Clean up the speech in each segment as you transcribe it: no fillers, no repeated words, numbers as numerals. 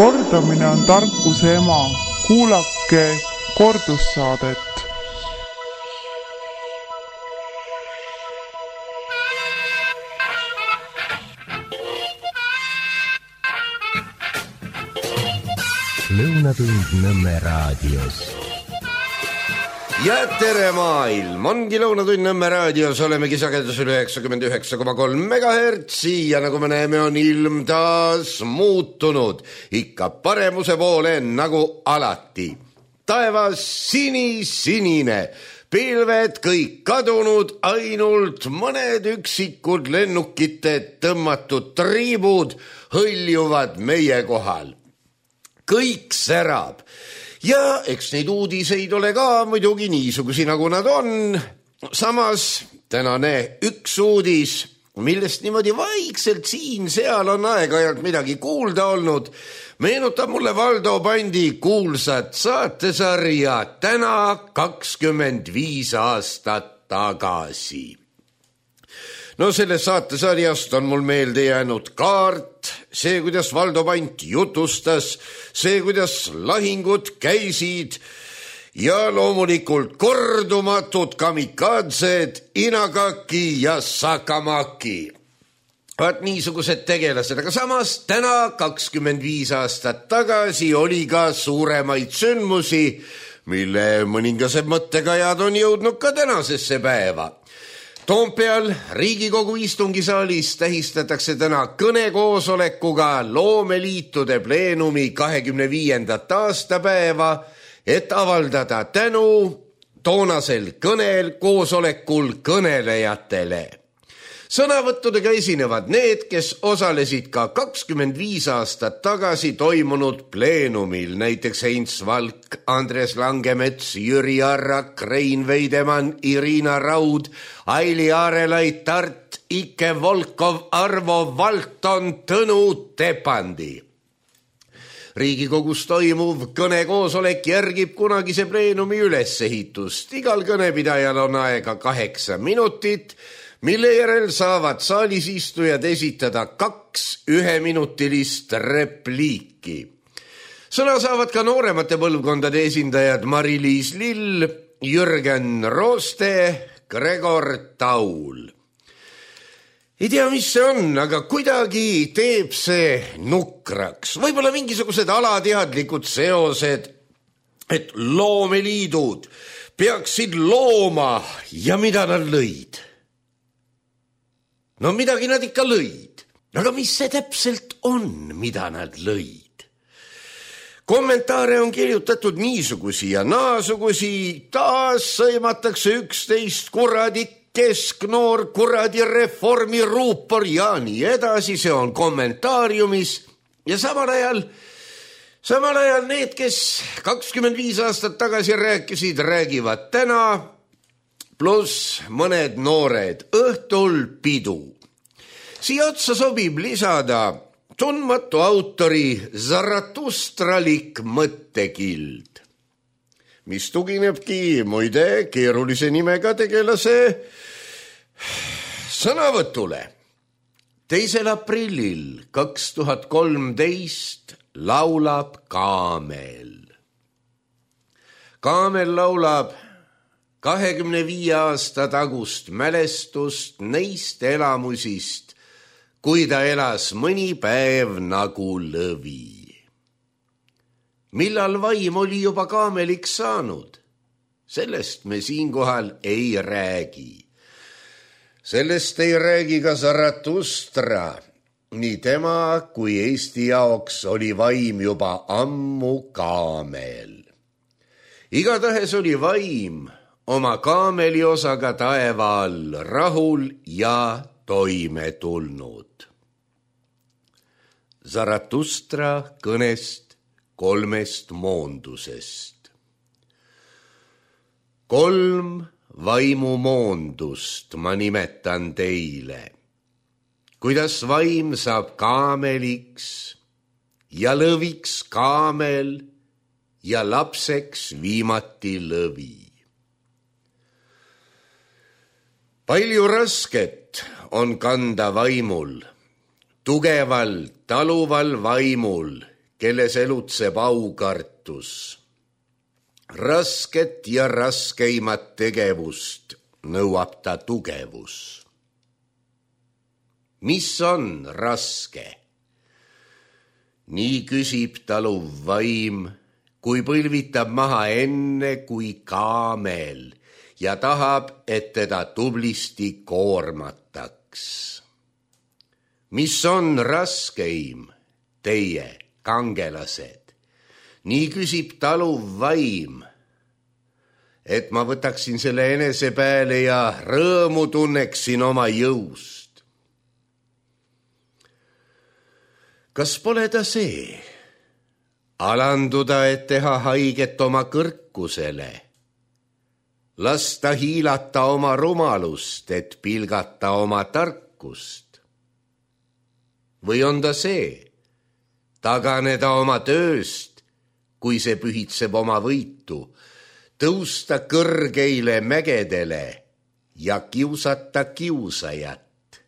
Kordamine on tarkuse ema. Kuulake kordussaadet. Lõunatund Nõmme raadios. Ja tere maailm, ongi Lõunatund Nõmme raadios, olemegi sagedusel 99,3 megahertsi ja nagu me näeme, on ilm taas muutunud, ikka paremuse poole nagu alati. Taevas sinisinine, pilved kõik kadunud, ainult mõned üksikud lennukite tõmmatud triibud hõljuvad meie kohal. Kõik särab. Ja eks neid uudiseid ole ka muidugi niisugusi, nagu nad on. Samas tänane üks uudis, millest niimoodi vaikselt siin-seal on aeg-ajalt midagi kuulda olnud, meenutab mulle Valdo Pandi kuulsat saatesarja Täna 25 aastat tagasi. No sellest saatesarjast on mul meelde jäänud kaart, see, kuidas Valdo Pant jutustas, see, kuidas lahingud käisid ja loomulikult kordumatud kamikaadsed Inagaki ja Sakamaki. Vaat niisugused tegelased, aga samas täna 25 aastat tagasi oli ka suuremaid sündmusi, mille mõningased mõttekajad on jõudnud ka tänasesse päeva. Toompeal Riigikogu istungisaalis tähistatakse täna kõnekoosolekuga loomeliitude pleenumi 25. aastapäeva, et avaldada tänu toonasel koosolekul kõnelejatele. Sõnavõttudega esinevad need, kes osalesid ka 25 aastat tagasi toimunud pleenumil, näiteks Heinz Valk, Andres Langemets, Jüri Arrak, Rein Veidemann, Irina Raud, Aili Aarelait, Tart, Ike Volkov, Arvo Valton, Tõnu Tepandi. Riigikogus toimuv kõnekoosolek järgib kunagise pleenumi ülesehitust. Igal kõnepidajal on aega 8 minutit, mille järel saavad saalis istujad esitada 2 1-minutilist repliiki. Sõna saavad ka nooremate põlvkondade esindajad Mari-Liis Lill, Jürgen Rooste, Gregor Taul. Ei tea, mis see on, aga kuidagi teeb see nukraks. Võib-olla mingisugused alateadlikud seosed, et loomeliidud peaksid looma ja mida nad lõid. No midagi nad ikka lõid. Aga mis see täpselt on, mida nad lõid? Kommentaare on kirjutatud niisugusi ja naasugusi, taas sõimatakse 11 kuradi kesknoor, kuradi reformi ruupor ja nii edasi, see on kommentaariumis ja samal ajal need, kes 25 aastat tagasi rääkisid, räägivad täna, pluss mõned noored õhtul pidu. Siia otsa sobib lisada tundmatu autori Zaratustralik mõttekild, mis tuginebki muide keerulise nimega tegelase sõnavõtule. 2. aprillil 2013 laulab Kaamel. Kaamel laulab 25 aasta tagust mälestust neist elamusist, kui ta elas mõni päev nagu lõvi. Millal vaim oli juba kaameliks saanud? Sellest me siinkohal ei räägi. Sellest ei räägi ka Zaratustra. Nii tema kui Eesti jaoks oli vaim juba ammu kaamel. Igatahes oli vaim oma kaameli osaga taeva all rahul ja toime tulnud. Zaratustra kõnest 3 moondusest. 3 vaimumoondust ma nimetan teile. Kuidas vaim saab kaameliks ja lõviks kaamel ja lapseks viimati lõvi. Palju rasket on kanda vaimul, tugeval taluval vaimul, kelles elutseb aukartus. Rasket ja raskeimat tegevust nõuab ta tugevus. Mis on raske? Nii küsib taluv vaim, kui põlvitab maha enne kui kaamel ja tahab, et teda tublisti koormataks. Mis on raskeim, teie kangelased? Nii küsib taluv vaim, et ma võtaksin selle enese peale ja rõõmu tunneksin oma jõust. Kas pole ta see? Alanduda, et teha haiget oma kõrkusele. Lasta hiilata oma rumalust, et pilgata oma tarkust. Või on ta see? Taganeda oma tööst, kui see pühitseb oma võitu, tõusta kõrgeile mägedele ja kiusata kiusajat.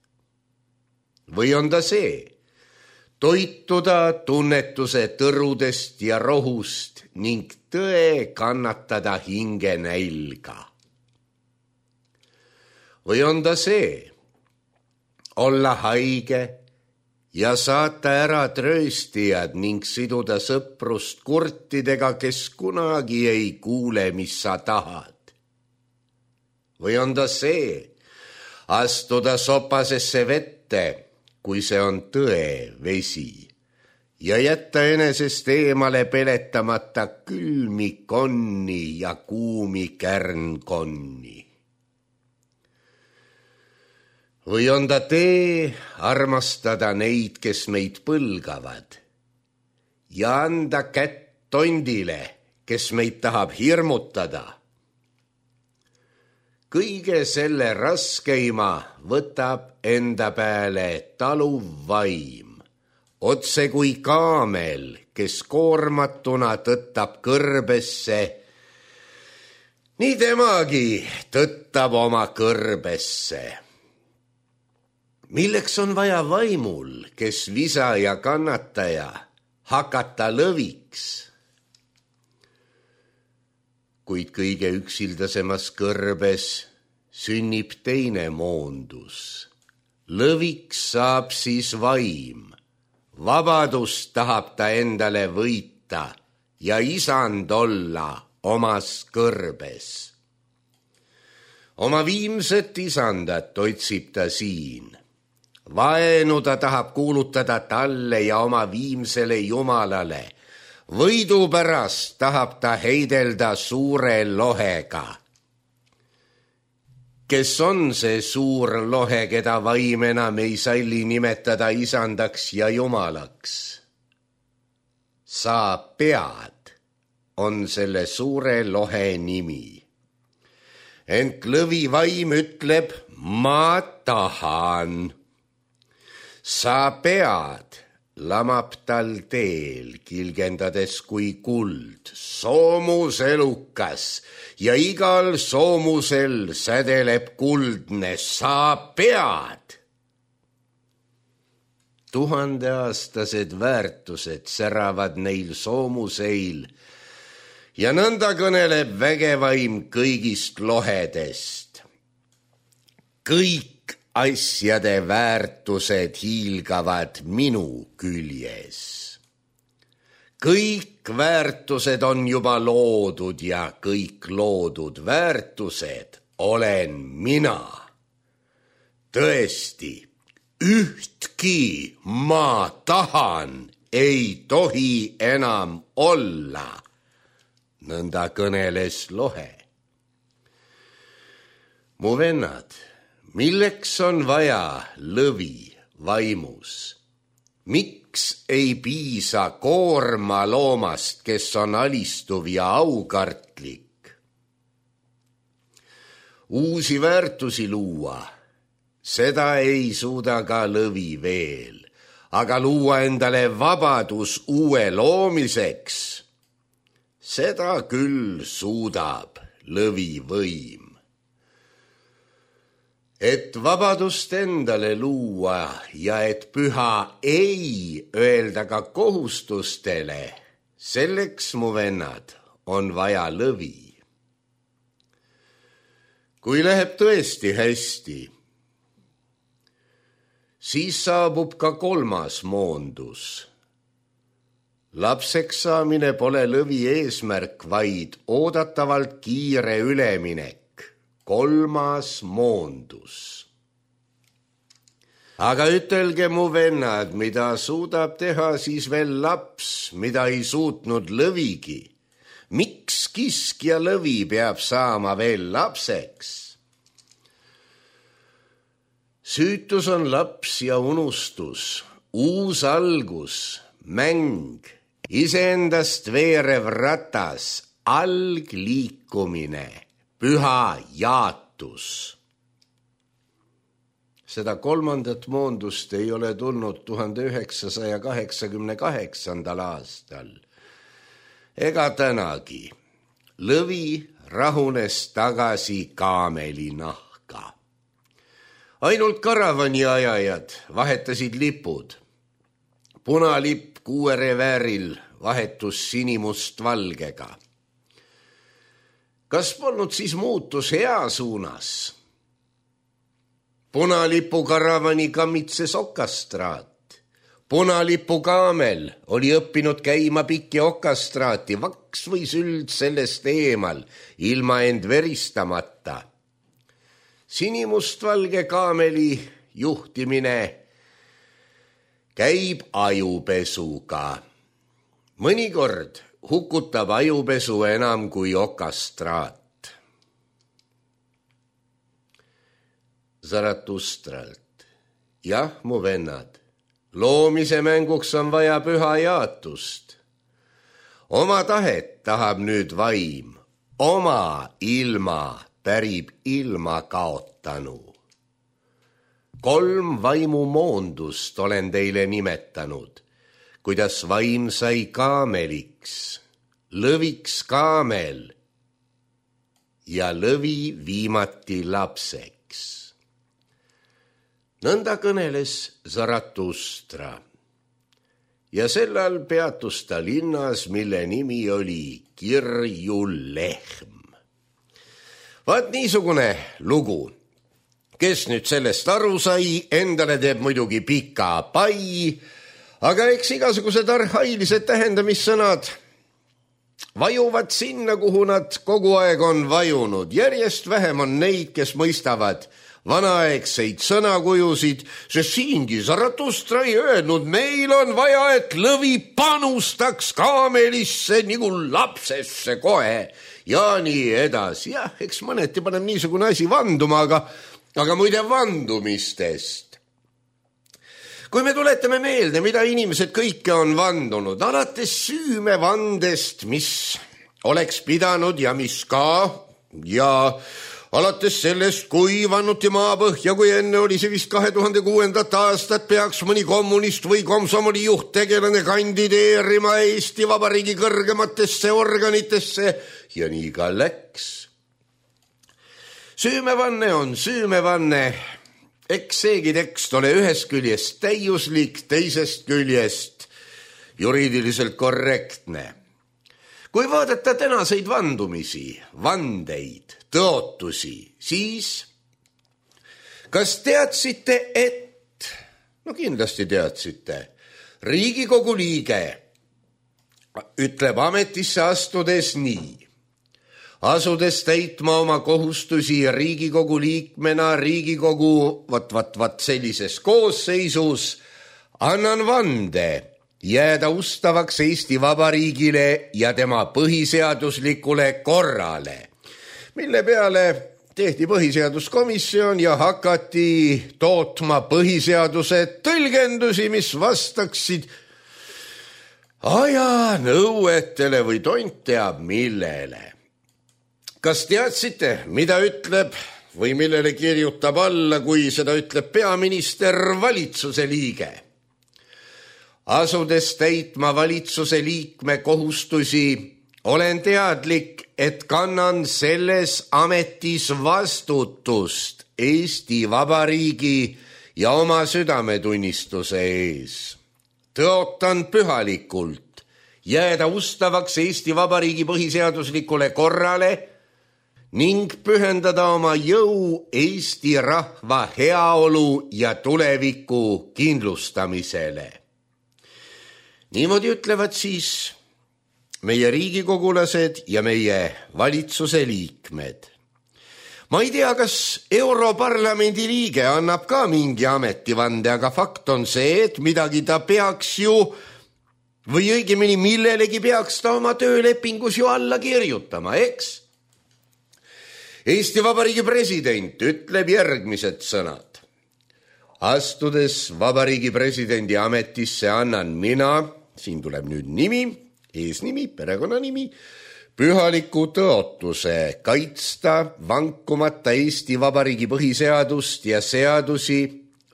Või on ta see? Toituda tunnetuse tõrudest ja rohust ning tõe kannatada hinge nälga. Või on ta see? Olla haige ja saata ära trööstijad ning siduda sõprust kurtidega, kes kunagi ei kuule, mis sa tahad. Või on ta see? Astuda sopasesse vette, kui see on tõe vesi, ja jätta enesest eemale peletamata külmi konni ja kuumi kärnkonni. Või on ta tee armastada neid, kes meid põlgavad, ja anda kätt tondile, kes meid tahab hirmutada. Kõige selle raskeima võtab enda peale taluv vaim, otse kui kaamel, kes koormatuna tõttab kõrbesse. Nii temagi tõttab oma kõrbesse. Milleks on vaja vaimul, kes visa ja kannataja, hakata lõviks? Kuid kõige üksildasemas kõrbes sünnib teine moondus. Lõviks saab siis vaim. Vabadust tahab ta endale võita ja isand olla omas kõrbes. Oma viimset isandat otsib ta siin. Vaenu ta tahab kuulutada talle ja oma viimsele jumalale. Võidu pärast tahab ta heidelda suure lohega. Kes on see suur lohe, keda vaim enam ei salli nimetada isandaks ja jumalaks? Sa pead on selle suure lohe nimi. Ent lõvi vaim ütleb, ma tahan. Sa pead, lamab tal teel, kilgendades kui kuld, soomuselukas ja igal soomusel sädeleb kuldne, sa pead. 1000-aastased väärtused säravad neil soomuseil ja nõnda kõneleb vägevaim kõigist lohedest. Kõik asjade väärtused hiilgavad minu küljes. Kõik väärtused on juba loodud ja kõik loodud väärtused olen mina. Tõesti, ühtki ma tahan ei tohi enam olla, nõnda kõneles lohe. Mu vennad, milleks on vaja lõvi vaimus? Miks ei piisa koorma loomast, kes on alistuv ja aukartlik? Uusi väärtusi luua, seda ei suuda ka lõvi veel, aga luua endale vabadus uue loomiseks, seda küll suudab lõvi võim. et vabadust endale luua ja et püha ei öelda ka kohustustele, selleks, mu vennad, on vaja lõvi. Kui läheb tõesti hästi, siis saabub ka 3. moondus. Lapseks saamine pole lõvi eesmärk, vaid oodatavalt kiire üleminek. 3. moondus. Aga ütelge, mu vennad, mida suudab teha siis veel laps, mida ei suutnud lõvigi? Miks kiskja lõvi peab saama veel lapseks? Süütus on laps ja unustus, uus algus, mäng, iseendast veerev ratas, algliikumine, püha jaatus. Seda 3. moondust ei ole tulnud 1988. aastal. Ega tänagi. Lõvi rahunes tagasi kaameli nahka. Ainult karavani ajajad vahetasid lipud. Punalipp kuuerevääril vahetus sinimust valgega. Kas polnud siis muutus hea suunas? Punalipu karavani kammitses okastraat. Punalipu kaamel oli õppinud käima pikki okastraati, vaks või sült sellest eemal, ilma end veristamata. Sinimustvalge kaameli juhtimine käib ajupesuga. Mõnikord hukutab ajupesu enam kui okastraat. Zaratustralt. Jah, mu vennad, loomise mänguks on vaja püha jaatust. Oma tahet tahab nüüd vaim, oma ilma pärib ilma kaotanu. 3 vaimu moondust olen teile nimetanud, kuidas vaim sai kaameliks, lõviks kaamel ja lõvi viimati lapseks. Nõnda kõneles Zaratustra ja sellal peatus ta linnas, mille nimi oli Kirjulehm. Vaat niisugune lugu. Kes nüüd sellest aru sai, endale teeb muidugi pika pai, aga eks igasugused arhailised tähendamissõnad vajuvad sinna, kuhu nad kogu aeg on vajunud. Järjest vähem on neid, kes mõistavad vanaaegseid sõnakujusid, sest siingi Zaratustra ei öelnud, meil on vaja, et lõvi panustaks kaamelisse nagu lapsesse kohe ja nii edasi. Jah, eks mõneti paneb niisugune asi vanduma, aga muide vandumistest. Kui me tuletame meelde, mida inimesed kõike on vandunud, alates süümevandest, mis oleks pidanud ja mis ka, ja alates sellest, kui vannuti maapõhja, kui enne oli see vist 2006. aastat, peaks mõni kommunist või komsomoli juhttegelane kandideerima Eesti Vabariigi kõrgematesse organitesse ja nii ka läks. Süümevanne on süümevanne. Eks seegi tekst ole ühest küljest täiuslik, teisest küljest juriidiliselt korrektne. Kui vaadata tänaseid vandumisi, vandeid, tõotusi, siis kas teadsite, et, no kindlasti teadsite, Riigikogu liige ütleb ametisse astudes nii: asudes täitma oma kohustusi Riigikogu liikmena Riigikogu sellises koosseisus, annan vande jääda ustavaks Eesti Vabariigile ja tema põhiseaduslikule korrale, mille peale tehti põhiseaduskomisjon ja hakati tootma põhiseaduse tõlgendusi, mis vastaksid aja nõuetele või tont teab millele. Kas teadsite, mida ütleb või millele kirjutab alla, kui seda ütleb peaminister, valitsuse liige? Asudes täitma valitsuse liikme kohustusi, olen teadlik, et kannan selles ametis vastutust Eesti Vabariigi ja oma südametunnistuse ees. Tõotan pühalikult jääda ustavaks Eesti Vabariigi põhiseaduslikule korrale ning pühendada oma jõu Eesti rahva heaolu ja tuleviku kindlustamisele. Niimoodi ütlevad siis meie riigikogulased ja meie valitsuse liikmed. Ma ei tea, kas Europarlamendi liige annab ka mingi ametivande, aga fakt on see, et midagi ta peaks ju, või õigemini millelegi peaks ta oma töölepingus ju alla kirjutama, eks? Eesti Vabariigi president ütleb järgmised sõnad. Astudes Vabariigi presidendi ametisse annan mina, siin tuleb nüüd nimi, eesnimi, perekonnanimi, pühaliku tõotuse kaitsta vankumata Eesti Vabariigi põhiseadust ja seadusi,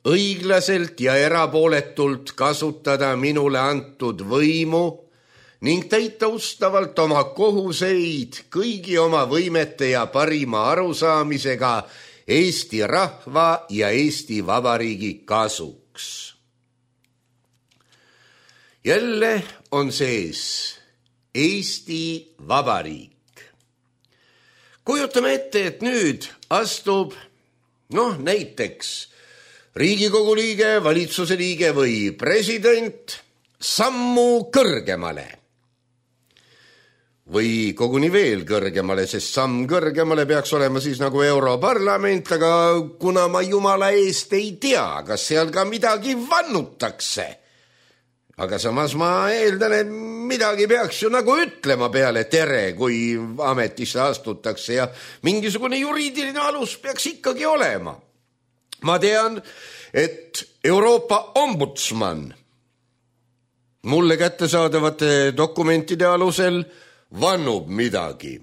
õiglaselt ja erapooletult kasutada minule antud võimu ning täita ustavalt oma kohuseid kõigi oma võimete ja parima arusaamisega Eesti rahva ja Eesti Vabariigi kasuks. Jälle on sees Eesti Vabariik. Kujutame ette, et nüüd astub, näiteks Riigikogu liige, valitsuse liige või president sammu kõrgemale. Või koguni veel kõrgemale, sest samm kõrgemale peaks olema siis nagu Europarlament, aga kuna ma jumala eest ei tea, kas seal ka midagi vannutakse. Aga samas ma eeldan, et midagi peaks ju nagu ütlema peale tere, kui ametisse astutakse ja mingisugune juriidiline alus peaks ikkagi olema. Ma tean, et Euroopa ombudsman mulle kättesaadavate dokumentide alusel vannub midagi.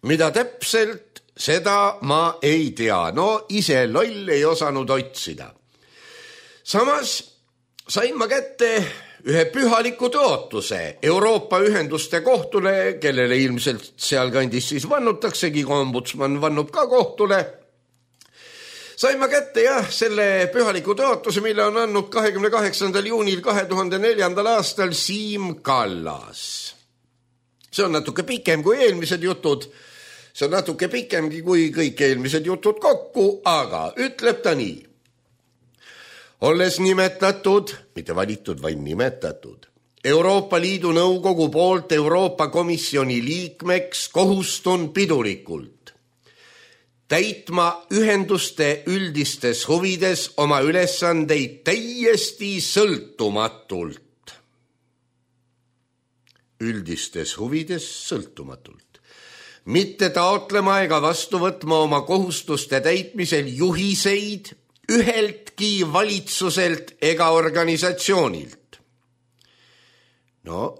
Mida täpselt, seda ma ei tea. Ise loll ei osanud otsida. Samas sain ma kätte ühe pühaliku tõotuse Euroopa ühenduste kohtule, kellele ilmselt sealkandis siis vannutaksegi, ombudsman vannub ka kohtule. Sain ma kätte selle pühaliku tõotuse, mille on andnud 28. juunil 2004. aastal Siim Kallas. See on natuke pikem kui eelmised jutud, see on natuke pikemgi kui kõik eelmised jutud kokku, aga ütleb ta nii. Olles nimetatud, mitte valitud, vaid nimetatud, Euroopa Liidu Nõukogu poolt Euroopa Komisjoni liikmeks kohustun pidulikult täitma ühenduste üldistes huvides oma ülesandeid täiesti sõltumatult. Üldistes huvides sõltumatult. Mitte taotlema ega vastu võtma oma kohustuste täitmisel juhiseid üheltki valitsuselt ega organisatsioonilt.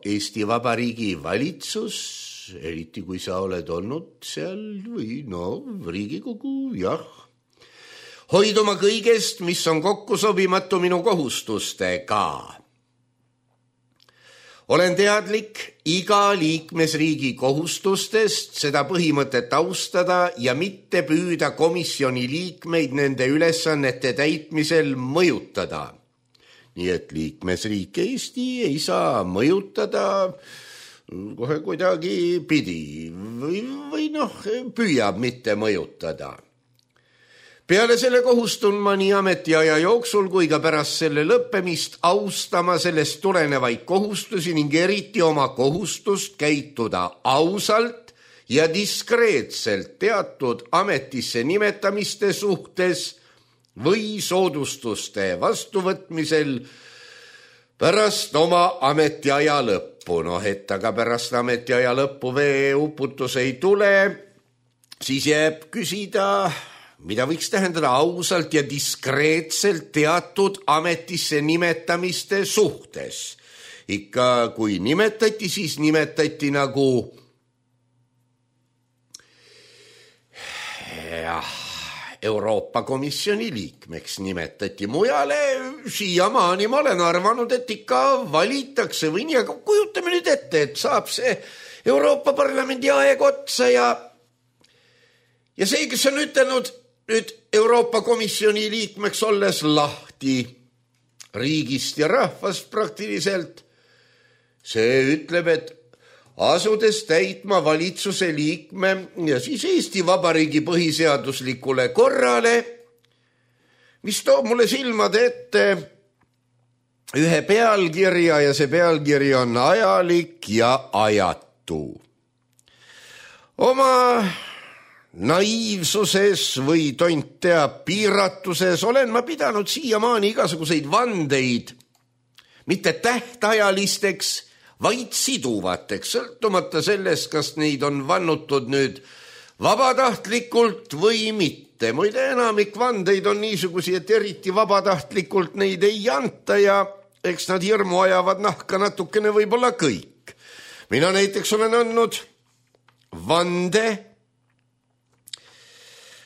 Eesti Vabariigi valitsus, eriti kui sa oled olnud seal või Riigikogu, jah. Hoiduma kõigest, mis on kokku sobimatu minu kohustustega. Olen teadlik iga liikmesriigi kohustustest seda põhimõtet austada ja mitte püüda komisjoni liikmeid nende ülesannete täitmisel mõjutada. Nii et liikmesriik Eesti ei saa mõjutada kohe kuidagi pidi või püüab mitte mõjutada. Peale selle kohustun ma nii ametiaja jooksul kui ka pärast selle lõppemist austama sellest tulenevaid kohustusi ning eriti oma kohustust käituda ausalt ja diskreetselt teatud ametisse nimetamiste suhtes või soodustuste vastuvõtmisel pärast oma ametiaja lõppu. Et aga pärast ametiaja lõppu veeuputus ei tule, siis jääb küsida, mida võiks tähendada ausalt ja diskreetselt teatud ametisse nimetamiste suhtes. Ikka kui nimetati, siis nimetati nagu Euroopa Komisjoni liikmeks nimetati. Mujale siiamaani ma olen arvanud, et ikka valitakse või nii, aga kujutame nüüd ette, et saab see Euroopa Parlamendi aeg otsa ja see, kes on ütelnud nüüd Euroopa Komisjoni liikmeks olles lahti riigist ja rahvast praktiliselt, see ütleb, et asudes täitma valitsuse liikme ja siis Eesti Vabariigi põhiseaduslikule korrale, mis toob mulle silmade ette ühe pealkirja ja see pealkiri on ajalik ja ajatu. Oma naiivsuses või tont teab piiratuses olen ma pidanud siiamaani igasuguseid vandeid mitte tähtajalisteks, vaid siduvateks, sõltumata sellest, kas neid on vannutud nüüd vabatahtlikult või mitte. Muide, enamik vandeid on niisugusi, et eriti vabatahtlikult neid ei anta ja eks nad hirmu ajavad nahka natukene võib-olla kõik. Mina näiteks olen andnud vande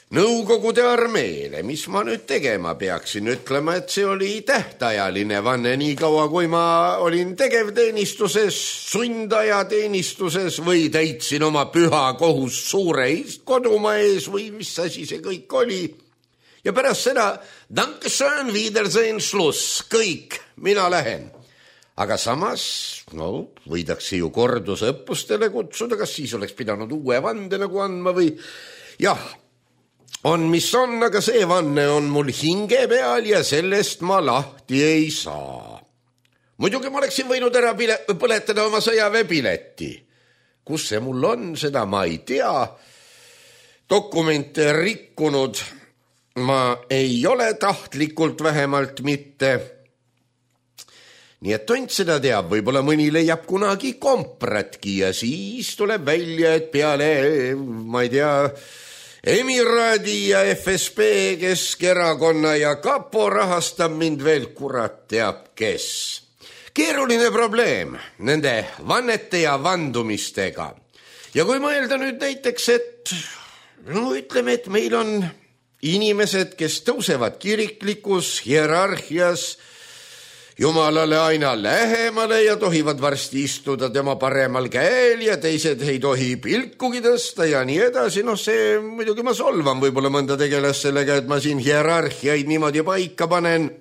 Nõukogude armeele, mis ma nüüd tegema peaksin, ütlema, et see oli tähtajaline vanne nii kaua, kui ma olin tegevteenistuses, sundajateenistuses või täitsin oma püha kohus suure kodumaa ees või mis asi see kõik oli. Ja pärast seda, Dankeschön, Wiedersehen, Schluss, kõik, mina lähen. Aga samas, võidakse ju kordusõppustele kutsuda, kas siis oleks pidanud uue vande nagu andma või jah, on mis on, aga see vanne on mul hinge peal ja sellest ma lahti ei saa. Muidugi ma oleksin võinud ära põletada oma sõjaväepileti. Kus see mul on, seda ma ei tea. Dokumente rikkunud ma ei ole tahtlikult vähemalt mitte. Nii et tont seda teab, võib-olla mõni leiab kunagi kompratki ja siis tuleb välja, et peale, ma ei tea, Emiraadi ja FSB, Keskerakonna ja Kapo rahastab mind veel kurat teab kes. Keeruline probleem nende vannete ja vandumistega. Ja kui mõelda nüüd näiteks, et ütleme, et meil on inimesed, kes tõusevad kiriklikus hierarhias Jumalale aina lähemale ja tohivad varsti istuda tema paremal käel ja teised ei tohi pilkugi tõsta ja nii edasi. See muidugi ma solvan võib-olla mõnda tegelas sellega, et ma siin hierarhiaid niimoodi paika panen.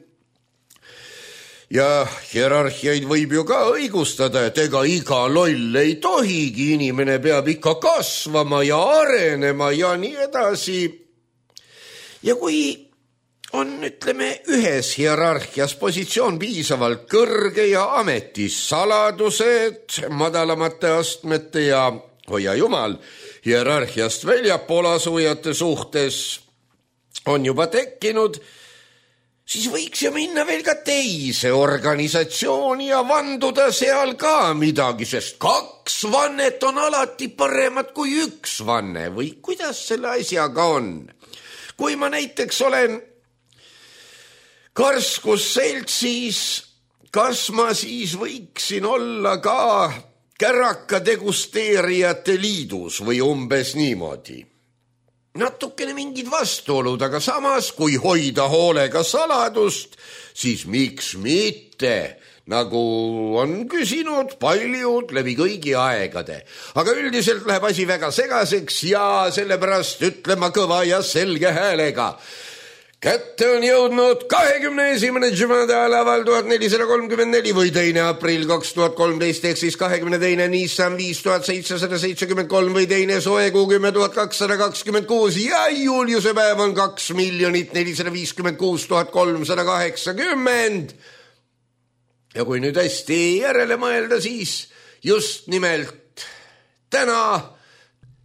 Ja hierarhiaid võib ju ka õigustada, et ega iga loll ei tohigi, inimene peab ikka kasvama ja arenema ja nii edasi. Ja kui on, ütleme, ühes hierarhias positsioon piisavalt kõrge ja ametis saladused madalamate astmete ja, hoia jumal, hierarhiast väljapool asujate suhtes on juba tekkinud, siis võiks ju minna veel ka teise organisatsiooni ja vanduda seal ka midagi, sest 2 vannet on alati paremad kui 1 vanne või kuidas selle asjaga on. Kui ma näiteks olen Karskusseltsis, kas ma siis võiksin olla ka käraka degusteerijate liidus või umbes niimoodi? Natukene mingid vastuolud, aga samas, kui hoida hoolega saladust, siis miks mitte, nagu on küsinud paljud läbi kõigi aegade. Aga üldiselt läheb asi väga segaseks ja sellepärast ütlema kõva ja selge häälega. Kätte on jõudnud 21. Jumadaalaval 1434 või 2. aprill 2013 ehk siis 22. Nissan 5773 või 2. soekuu 10.226 ja Juliuse päev on 2 456 380. Ja kui nüüd hästi järele mõelda, siis just nimelt täna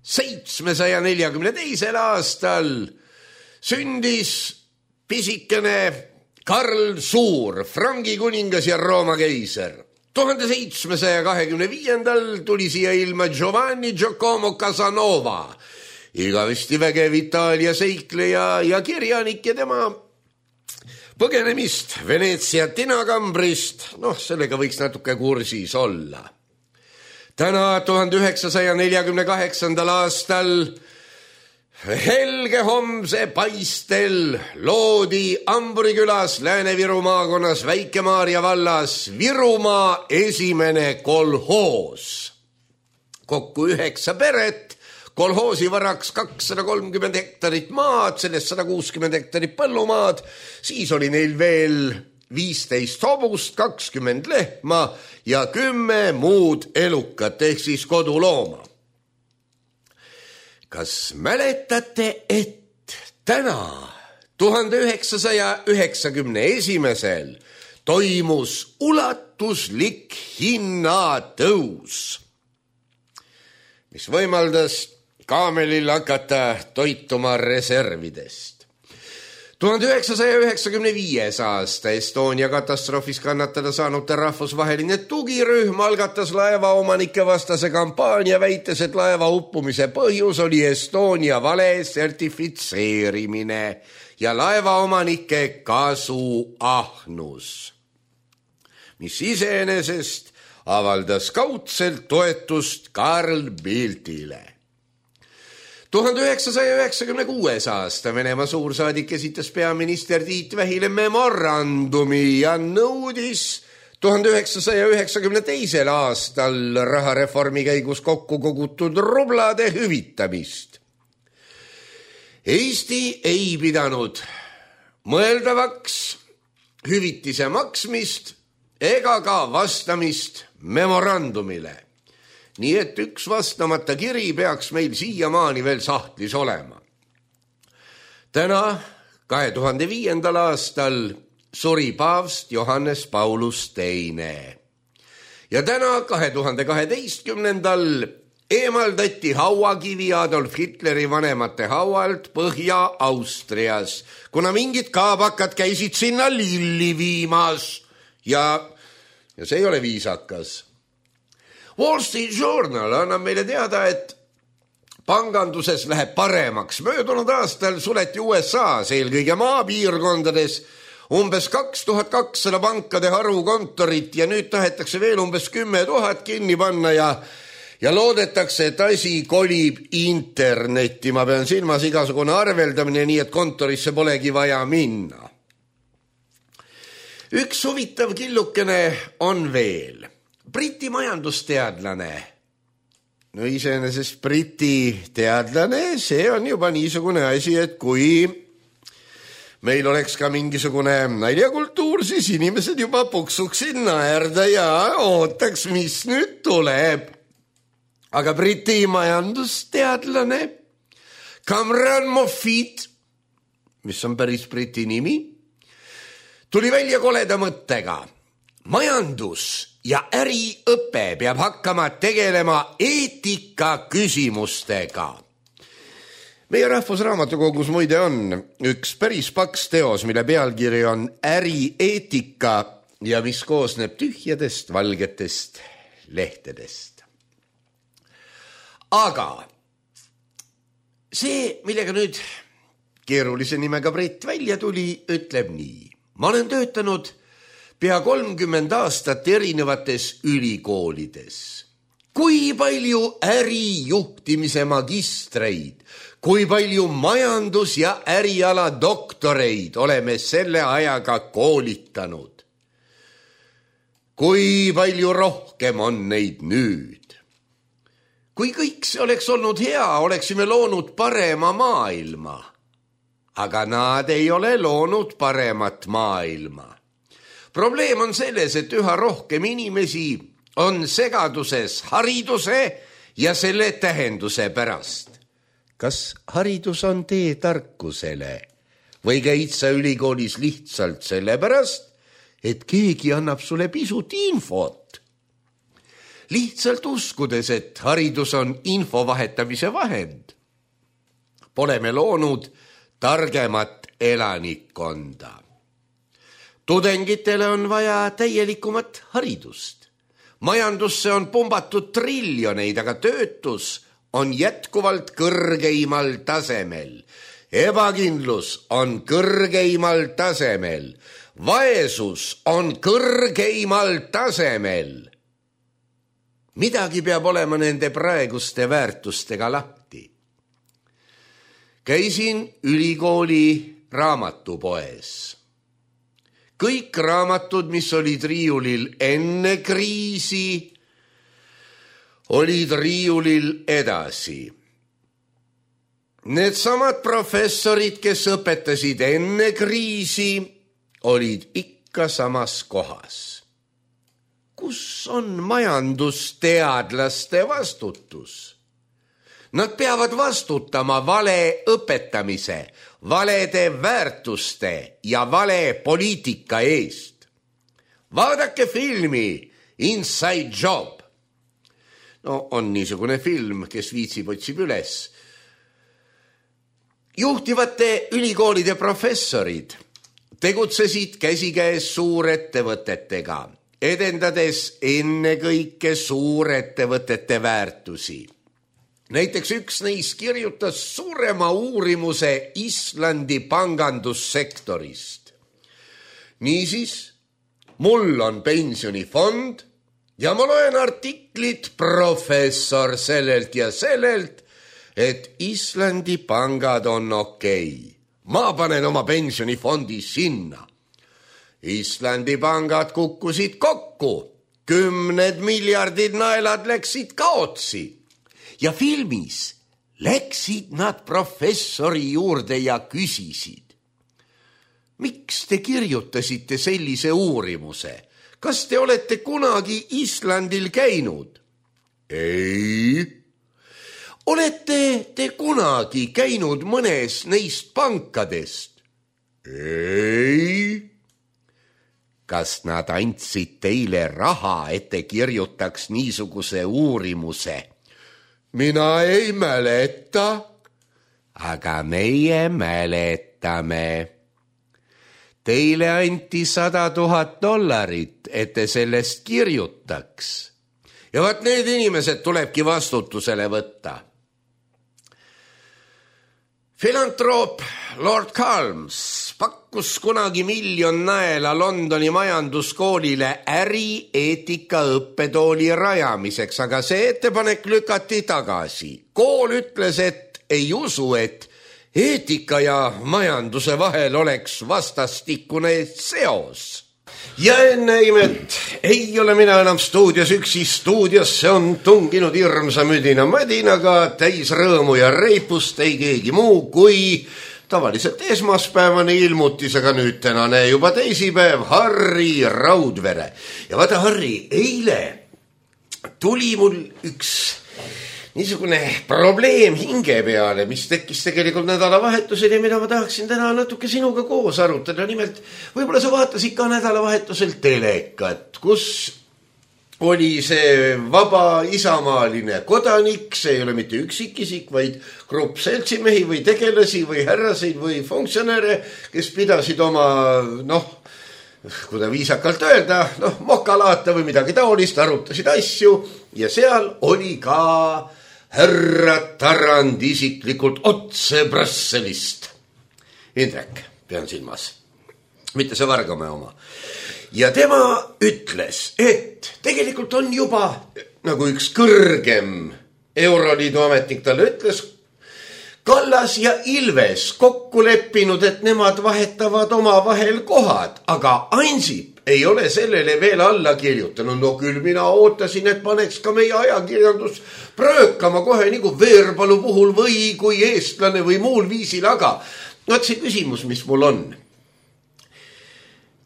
742. aastal sündis pisikene Karl Suur, Frangi kuningas ja Rooma keiser. 1725. tuli siia ilma Giovanni Giacomo Casanova, igavesti vägev Itaalia seikleja ja kirjanik ja tema põgenemist Veneetsia tinakambrist, sellega võiks natuke kursis olla. Täna 1948. aastal helge homse paistel loodi Amburi külas Lääne-Viru maakonnas Väike-Maarja vallas Virumaa esimene kolhoos. kokku 9 peret, kolhoosi varaks 230 hektarit maad, sellest 160 hektarit põllumaad, siis oli neil veel 15 hobust, 20 lehma ja 10 muud elukat ehk siis kodulooma. Kas mäletate, et täna 1991 toimus ulatuslik hinnatõus, mis võimaldas kaamelil hakata toituma reservidest. 1995 aasta Estonia katastroofis kannatada saanute rahvusvaheline tugirühm algatas laevaomanike vastase kampaania, väites, et laeva uppumise põhjus oli Estonia vale sertifitseerimine ja laevaomanike kasuahnus, mis iseenesest avaldas kaudselt toetust Carl Bildtile. 1996 aasta Venemaa suursaadik esitas peaminister Tiit Vähile memorandumi ja nõudis 1992 aastal rahareformi käigus kokku kogutud rublade hüvitamist. Eesti ei pidanud mõeldavaks hüvitise maksmist ega ka vastamist memorandumile. Nii et üks vastamata kiri peaks meil siiamaani veel sahtlis olema. Täna, 2005. aastal, suri paavst Johannes Paulus II. Ja täna, 2012. eemaldati hauakivi Adolf Hitleri vanemate haualt Põhja-Austrias, kuna mingid kaabakad käisid sinna lilli viimas ja see ei ole viisakas. Wall Street Journal annab meile teada, et panganduses läheb paremaks. Möödunud aastal suleti USA's eelkõige maapiirkondades umbes 2200 pankade harukontorit ja nüüd tahetakse veel umbes 10 000 kinni panna ja loodetakse, et asi kolib internetti. Ma pean silmas igasugune arveldamine, nii et kontorisse polegi vaja minna. Üks huvitav killukene on veel. Briti majandusteadlane, no iseenesest Briti teadlane, see on juba niisugune asi, et kui meil oleks ka mingisugune naljakultuur, siis inimesed juba puksuksid naerda ja ootaks, mis nüüd tuleb. Aga Briti majandusteadlane Cameron Moffat, mis on päris Briti nimi, tuli välja koleda mõttega. Majandus ja äriõpe peab hakkama tegelema eetika küsimustega. Meie Rahvusraamatukogus muide on üks päris paks teos, mille pealkiri on Ärieetika ja mis koosneb tühjadest valgetest lehtedest. Aga see, millega nüüd keerulise nimega Brett välja tuli, ütleb nii. Ma olen töötanud pea 30 aastat erinevates ülikoolides. Kui palju ärijuhtimise magistreid, kui palju majandus- ja äriala doktoreid oleme selle ajaga koolitanud. Kui palju rohkem on neid nüüd. Kui kõik see oleks olnud hea, oleksime loonud parema maailma. Aga nad ei ole loonud paremat maailma. Probleem on selles, et üha rohkem inimesi on segaduses hariduse ja selle tähenduse pärast. Kas haridus on tee tarkusele või käid sa ülikoolis lihtsalt sellepärast, et keegi annab sulle pisut infot? Lihtsalt uskudes, et haridus on info vahetamise vahend. Pole me loonud targemat elanikkonda. Tudengitele on vaja täielikumat haridust. Majandusse on pumbatud triljoneid, aga töötus on jätkuvalt kõrgeimal tasemel. Ebakindlus on kõrgeimal tasemel. Vaesus on kõrgeimal tasemel. Midagi peab olema nende praeguste väärtustega lahti. Käisin ülikooli raamatupoes. Kõik raamatud, mis olid riiulil enne kriisi, olid riiulil edasi. Needsamad professorid, kes õpetasid enne kriisi, olid ikka samas kohas. Kus on majandusteadlaste vastutus? Nad peavad vastutama vale õpetamise, valede väärtuste ja vale poliitika eest. Vaadake filmi Inside Job. No on niisugune film, kes viitsib, otsib üles. Juhtivate ülikoolide professorid tegutsesid käsikäes suurettevõtetega, edendades ennekõike suurettevõtete väärtusi. Näiteks üks neist kirjutas suurema uurimuse Islandi pangandussektorist. Niisiis, mul on pensionifond ja ma loen artiklit professor sellelt ja sellelt, et Islandi pangad on okei. Ma panen oma pensionifondi sinna. Islandi pangad kukkusid kokku. 10 miljardid naelad läksid kaotsi. Ja filmis läksid nad professori juurde ja küsisid. Miks te kirjutasite sellise uurimuse? Kas te olete kunagi Islandil käinud? Ei. Olete te kunagi käinud mõnes neist pankadest? Ei. Kas nad andsid teile raha, et te kirjutaks niisuguse uurimuse? Mina ei mäleta. Aga meie mäletame. Teile anti $100,000, et te sellest kirjutaks. Ja vaat need inimesed tulebki vastutusele võtta. Filantroop Lord Calms pakkus kunagi $1 miljon naela Londoni majanduskoolile ärieetika õppetooli rajamiseks, aga see ettepanek lükati tagasi. Kool ütles, et ei usu, et eetika ja majanduse vahel oleks vastastikune seos. Ja enne imet ei ole mina enam stuudios üksi. Stuudiosse on tunginud hirmsa müdina madinaga täis rõõmu ja reipust ei keegi muu kui tavaliselt esmaspäevane ilmutis, aga nüüd tänane juba teisipäev, Harri Raudvere. Ja vaata, Harri, eile tuli mul üks niisugune probleem hinge peale, mis tekkis tegelikult nädalavahetusel ja mida ma tahaksin täna natuke sinuga koos arutada. Nimelt, võib-olla sa vaatasid ka nädalavahetusel telekat, kus oli see vaba isamaaline kodanik, see ei ole mitte üksikisik, vaid grupp seltsimehi või tegelasi või härraseid või funktsionäre, kes pidasid oma, kui ta viisakalt öelda, mokalaata või midagi taolist, arutasid asju ja seal oli ka härra Tarand isiklikult otse Brüsselist. Indrek, pean silmas, mitte see Vargamäe oma. Ja tema ütles, et tegelikult on juba nagu üks kõrgem Euroliidu ametnik talle ütles, Kallas ja Ilves kokku leppinud, et nemad vahetavad oma vahel kohad, aga Ansip ei ole sellele veel alla kirjutanud. No küll mina ootasin, et paneks ka meie ajakirjandus pröökama kohe nagu Veerpalu puhul või kui eestlane või muul viisil, aga vaat see küsimus, mis mul on.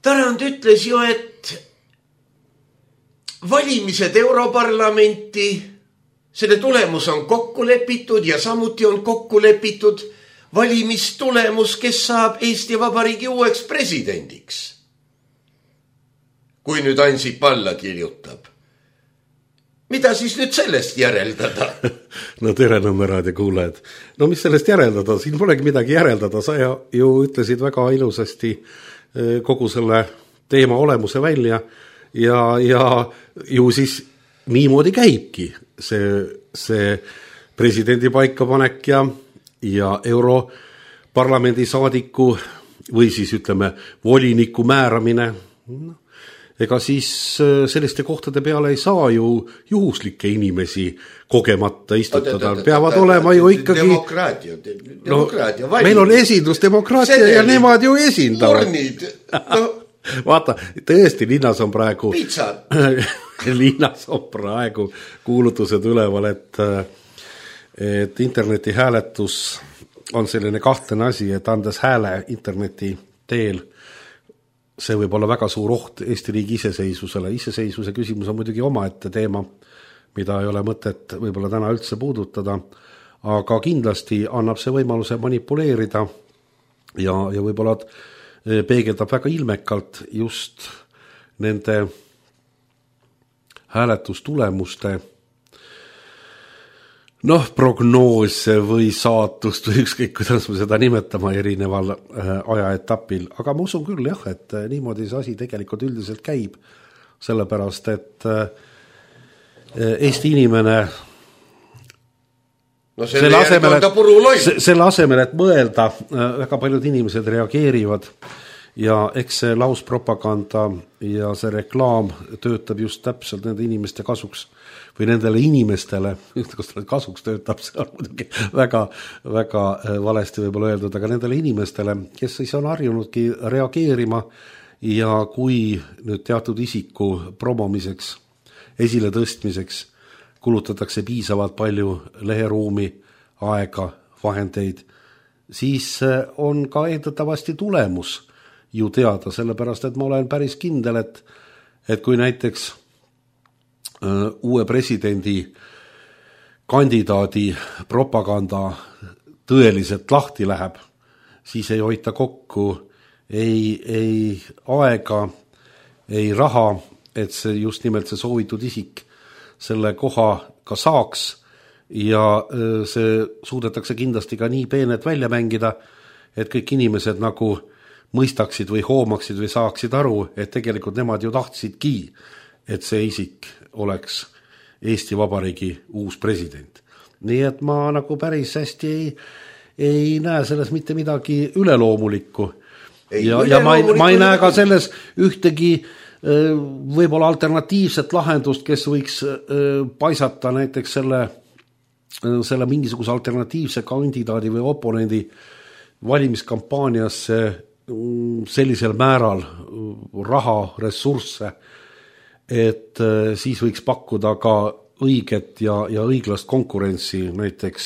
Tarand ütles ju, et valimised Europarlamenti, selle tulemus on kokku lepitud ja samuti on kokku lepitud valimistulemus, kes saab Eesti Vabariigi uueks presidendiks. Kui nüüd Ansip alla kirjutab. Mida siis nüüd sellest järeldada? No tere, Nõmme raadio kuulajad. No mis sellest järeldada? Siin polegi midagi järeldada. Sa ju ütlesid väga ilusasti kogu selle teema olemuse välja ja ju siis niimoodi käibki see presidendi paikapanek ja Europarlamendi saadiku või siis ütleme voliniku määramine. Ega siis selliste kohtade peale ei saa ju juhuslikke inimesi kogemata istutada. Peavad olema ju ikkagi... Demokraatia. Meil on esindusdemokraatia ja nemad ju esindavad. Urnid. Vaata, tõesti linnas on praegu Pitsad. linnas on praegu kuulutused üleval, et interneti hääletus on selline kahtlane asi, et andes hääle interneti teel, see võib olla väga suur oht Eesti riigi iseseisvusele. Iseseisvuse küsimus on muidugi omaette teema, mida ei ole mõtet võib-olla täna üldse puudutada, aga kindlasti annab see võimaluse manipuleerida ja võib-olla peegeldab väga ilmekalt just nende hääletustulemuste prognoose või saatust või ükskõik, kuidas me seda nimetama erineval ajaetapil. Aga ma usun küll jah, et niimoodi see asi tegelikult üldiselt käib, sellepärast et Eesti inimene selle asemel, et mõelda, väga paljud inimesed reageerivad ja eks see lauspropaganda ja see reklaam töötab just täpselt nende inimeste kasuks või nendele inimestele, kas ta kasuks töötab, see on muidugi väga, väga valesti võib-olla öeldud, aga nendele inimestele, kes siis on harjunudki reageerima ja kui nüüd teatud isiku promomiseks, esile tõstmiseks kulutatakse piisavalt palju leheruumi, aega, vahendeid, siis on ka eeldatavasti tulemus ju teada, sellepärast et ma olen päris kindel, et kui näiteks uue presidendi kandidaadi propaganda tõeliselt lahti läheb, siis ei hoita kokku ei aega, ei raha, et see just nimelt see soovitud isik selle koha ka saaks ja see suudetakse kindlasti ka nii peenet välja mängida, et kõik inimesed nagu mõistaksid või hoomaksid või saaksid aru, et tegelikult nemad ju tahtsidki, et see isik oleks Eesti Vabariigi uus president. Nii et ma nagu päris hästi ei näe selles mitte midagi üleloomulikku. Ja ma ei näe ka selles ühtegi võib-olla alternatiivset lahendust, kes võiks paisata näiteks selle mingisuguse alternatiivse kandidaadi või oponendi valimiskampaaniasse sellisel määral raha, ressursse, et siis võiks pakkuda ka õiget ja õiglast konkurentsi näiteks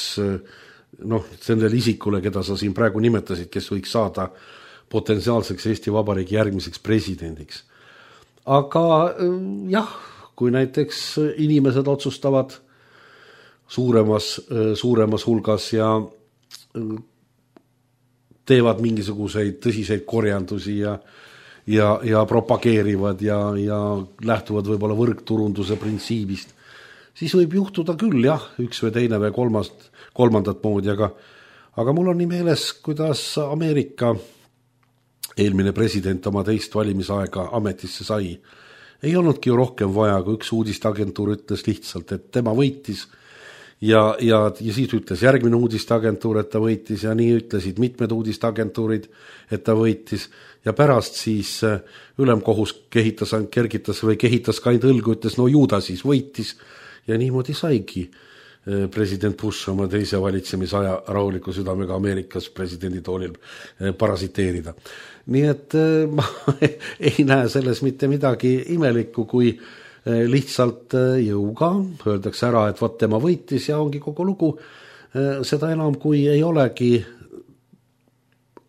sellele isikule, keda sa siin praegu nimetasid, kes võiks saada potentsiaalseks Eesti Vabariigi järgmiseks presidendiks. Aga jah, kui näiteks inimesed otsustavad suuremas hulgas ja teevad mingisuguseid tõsiseid korjandusi ja propageerivad ja lähtuvad võib-olla võrgturunduse printsiibist, siis võib juhtuda küll jah, üks või teine või kolmandat moodi, aga mul on nii meeles, kuidas Ameerika eelmine president oma teist valimisaega ametisse sai. Ei olnudki ju rohkem vaja, kui üks uudisteagentuur ütles lihtsalt, et tema võitis ja siis ütles järgmine uudisteagentuur, et ta võitis ja nii ütlesid mitmed uudisteagentuurid, et ta võitis ja pärast siis ülemkohus kehitas ka ainult õlgu, ütles no ju ta siis võitis ja niimoodi saigi president Bush oma teise valitsemisaja rahuliku südamega Ameerikas presidendi toolil parasiteerida. Nii et ma ei näe selles mitte midagi imelikku, kui lihtsalt jõuga öeldakse ära, et vaat tema võitis ja ongi kogu lugu. Seda enam, kui ei olegi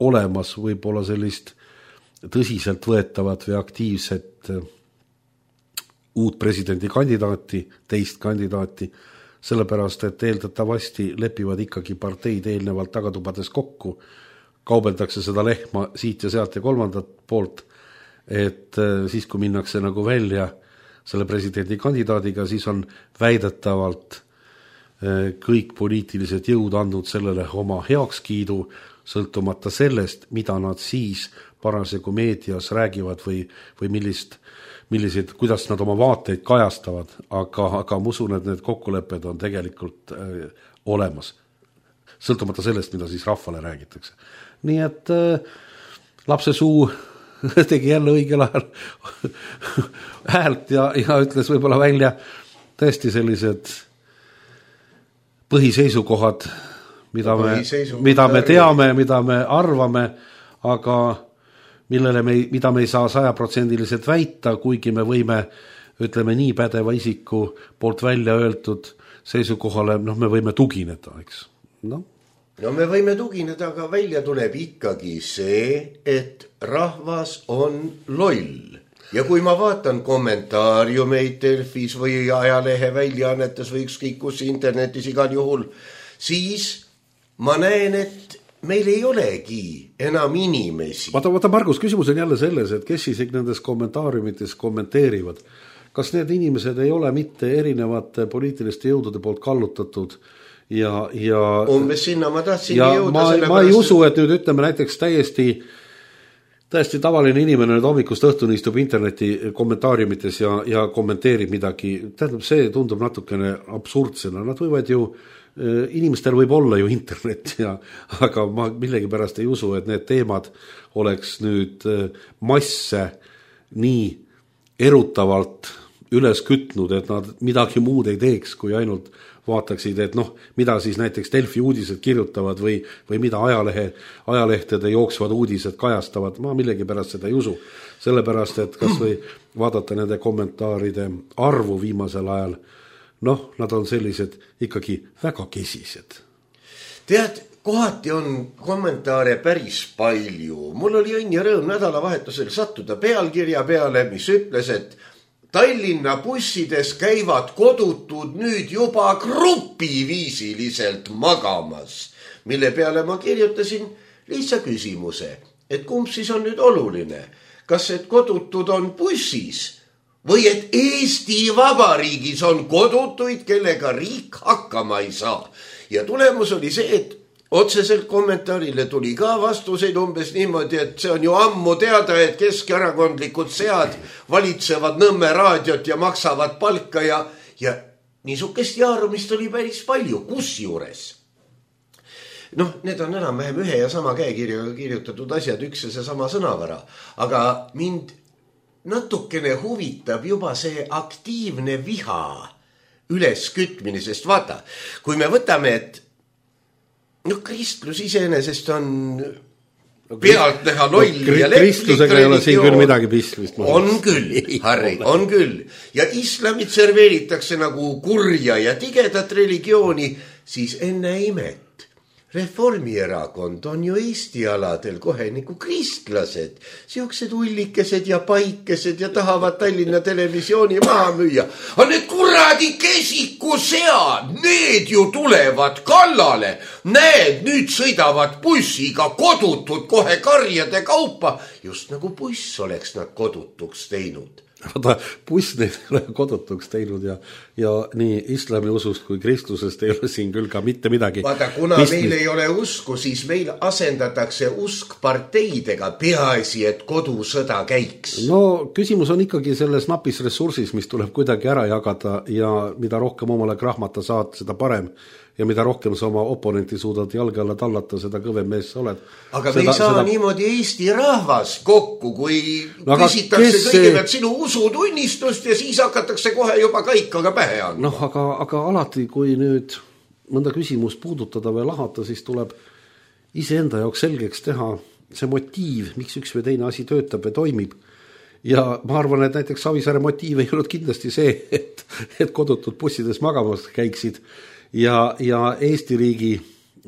olemas võib-olla sellist tõsiselt võetavat või aktiivset uut presidendi kandidaati, teist kandidaati, sellepärast, et eeldatavasti lepivad ikkagi parteid eelnevalt tagatubades kokku, kaubeldakse seda lehma siit ja sealt ja kolmandat poolt, et siis, kui minnakse nagu välja selle presidendi kandidaadiga, siis on väidetavalt kõik poliitilised jõud andnud sellele oma heakskiidu, sõltumata sellest, mida nad siis parasjagu meedias räägivad või millised, kuidas nad oma vaateid kajastavad, aga ma usun, et need kokkulepped on tegelikult olemas, sõltumata sellest, mida siis rahvale räägitakse. Nii et lapse suu tegi jälle õigel ajal häält ja ütles võib-olla välja tõesti sellised põhiseisukohad, mida me teame, mida me arvame, aga mida me ei saa 100% väita, kuigi me võime, ütleme nii pädeva isiku poolt välja öeldud seisukohale, me võime tugineda, eks. No me võime tugineda, aga välja tuleb ikkagi see, et rahvas on loll. Ja kui ma vaatan kommentaariumeid Delfis või ajalehe väljaannetes või ükskõik kus internetis igal juhul, siis ma näen, et meil ei olegi enam inimesi. Vaata, Margus, küsimus on jälle selles, et kes siis nendes kommentaariumites kommenteerivad. Kas need inimesed ei ole mitte erinevate poliitiliste jõudude poolt kallutatud ja umbes sinna ma tahtsin jõuda. Ma ei usu, et nüüd ütleme näiteks täiesti tavaline inimene nüüd hommikust õhtuni istub interneti kommentaariumites ja kommenteerib midagi. Tähendab, see tundub natukene absurdsena. Nad võivad ju, inimestel võib olla ju internet, aga ma millegipärast ei usu, et need teemad oleks nüüd masse nii erutavalt üles kütnud, et nad midagi muud ei teeks, kui ainult vaataksid, et mida siis näiteks Delfi uudised kirjutavad või mida ajalehtede jooksvad uudised kajastavad. Ma millegipärast seda ei usu. Sellepärast, et kas või vaadata nende kommentaaride arvu viimasel ajal, nad on sellised ikkagi väga kesised. Tead, kohati on kommentaare päris palju. Mul oli õnn ja rõõm nädalavahetusel sattuda pealkirja peale, mis ütles, et Tallinna bussides käivad kodutud nüüd juba grupiviisiliselt magamas, mille peale ma kirjutasin lihtsa küsimuse, et kumb siis on nüüd oluline, kas et kodutud on bussis või et Eesti Vabariigis on kodutuid, kellega riik hakkama ei saa. Ja tulemus oli see, et otseselt kommentaarile tuli ka vastuseid umbes niimoodi, et see on ju ammu teada, et keskerakondlikud sead valitsevad Nõmme raadiot ja maksavad palka ja niisugust jaarumist oli päris palju, kusjuures. Need on enam-vähem ühe ja sama käekirjaga kirjutatud asjad, üks ja see sama sõnavara, aga mind natukene huvitab juba see aktiivne viha üleskütmine, sest vaata, kui me võtame, et kristlus iseenesest on pealt näha loll ja kristlusega ei ole siin küll midagi pistmist. On küll, Harri, on küll. Ja islamit serveeritakse nagu kurja ja tigedat religiooni, siis enne imet. Reformierakond on ju Eesti aladel kohe nagu kristlased, siuksed ullikesed ja paikesed ja tahavad Tallinna televisiooni maha müüa. Aga need kuradi kesikusead, need ju tulevad kallale. Näed, nüüd sõidavad bussiga kodutud kohe karjade kaupa, just nagu buss oleks nad kodutuks teinud. Vaata, buss neid ei ole kodutuks teinud ja nii islami usust kui kristlusest ei ole siin küll ka mitte midagi. Vaata, kuna meil ei ole usku, siis meil asendatakse usk parteidega, peaasi, et kodusõda käiks. Küsimus on ikkagi selles napis ressursis, mis tuleb kuidagi ära jagada ja mida rohkem omale krahmata saad, seda parem. Ja mida rohkem sa oma oponenti suudad jalge alla tallata, seda kõvem mees sa oled. Aga me ei saa niimoodi Eesti rahvas kokku, kui küsitakse kõigepealt sinu usutunnistust ja siis hakatakse kohe juba kaikaga pähe andma. Aga alati, kui nüüd mõnda küsimust puudutada või lahata, siis tuleb iseenda jaoks selgeks teha see motiiv, miks üks või teine asi töötab ja toimib. Ja ma arvan, et näiteks Savisaare motiiv ei olnud kindlasti see, et kodutud bussides magamas käiksid ja Eesti riigi